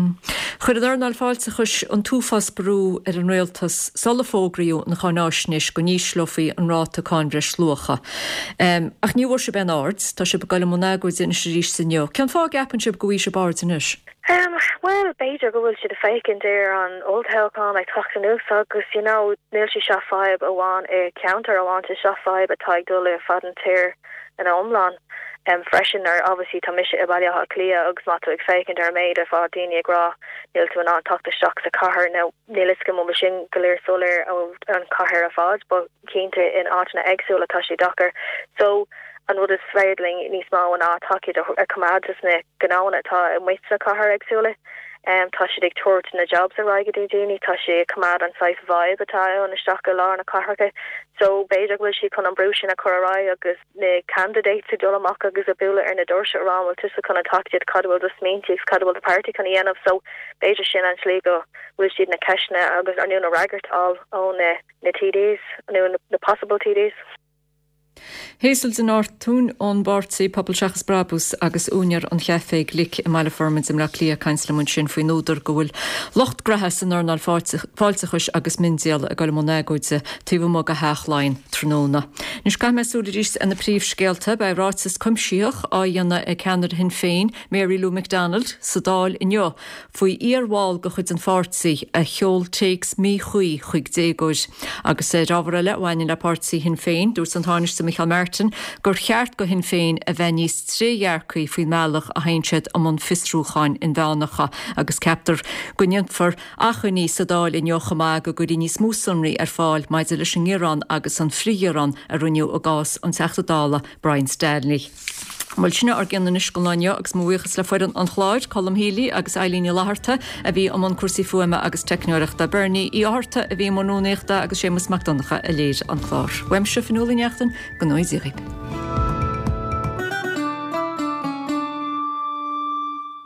Chuir an earnáil fáilteachais an t-uafás brú ar an rialtas sula fógraíodh an cháináisnéis go n-ísleofaí an ráta cáin bhreisluacha. Ach ní bhfuair sibh aon aird. Tá sibh ag dul i mbun agóide anois arís inniu. Cén fáth a gceapann sibh go bhfaighidh sibh aird anois? Bhuel, b'fhéidir go bhfuil siad ag féachaint ar an olltoghchán ag teacht anuas agus you know níl sé seo fadhb amháin i ceantar amháin, tá seo fadhb atá ag dul ar fad an tír ina iomlán freisin nuair obviously tá mise i Baile Átha Cliath agus má tá tú ag féachaint ar an méid ar fad daoine ag rá níl tú in ann teacht isteach sa chathair nó níl fhios agam an bhfuil sin go léir soiléir ó an chathair ar fad but cinnte in áiteanna éagsúla tá sé deacair so an rud is féidir linn níos mó ná tacaíocht a choimeád dos na gnóanna atá amuigh sna cathair éagsúla. Tá siad ag tabhairt na jobs ar aghaidh go dtí daoine, tá sé ag coimeád an saghas vibe atá ann isteach i lár na cathracha so b'fhéidir go bhfuil siad chun an brú sin a chur ar aghaidh agus na candidates ag dul amach agus ag bualadh ar na doirse a rá an bhfuil tusa chun an tacaíocht, cad a bhfuil do smaointe agus cad a bhfuil do páirtí chun a dhéanamh so b'fhéidir sin an tslí go bhfuil siad na ceisteanna agus nó na fhreagairt a fháil ó na na TDs nó na possible TDs. Hazel de Nortúin ón bpáirtí Pobal Seachas Brabús agus úinéir an chaifé glic i mBaile Formaid i mBleá Cliath ag caint liom ansin faoin údar go bhfuil lucht graithe san earnáil fáilteachais agus miondíola ag dul i mbun agóide taobh amuigh de Theach Laighean tráthnóna. Anois caithfidh mé súil arís ar na príomhscéalta. Beidh ráiteas cuimsitheach á dhéanamh ag ceannaire Shinn Féin, Mary Lou McDonald, sa Dáil inniu faoi iarbhall de chuid an pháirtí a sheol téacs míchuí chuig déagóir. Agus ar ábhar eile a bhaineann le páirtí Shinn Féin, dúirt an Tánaiste Micheál Martin gur cheart do Shinn Féin a bheith níos trédhearcaí faoin mbealach a théann siad i mbun fiosrúcháin inmheánacha agus ceaptar go ndéanfar achainí sa Dáil inniu chomh maith go gcuirfí níos mó sonraí ar fáil maidir leis an ngearán agus an frithghearán a rinneadh i gcás an Teachta Dála Brian Stanley. Bhuel, sin ár gcionn anois don lá inniu agus mo bhuíochas le foireann an chláir, Colm Healy agus Eileen Ní Fhlatharta a bhí i mbun cúrsaí fuaime agus teicneoireachta, Bernie Uí Fhátharta a bhí i mbun rúnaíochta agus Séamus Mac Donncha a léirigh an clár. Uaimse, Fionnuala Ní Neachtain, go ngnóthaí Dia dhaoibh.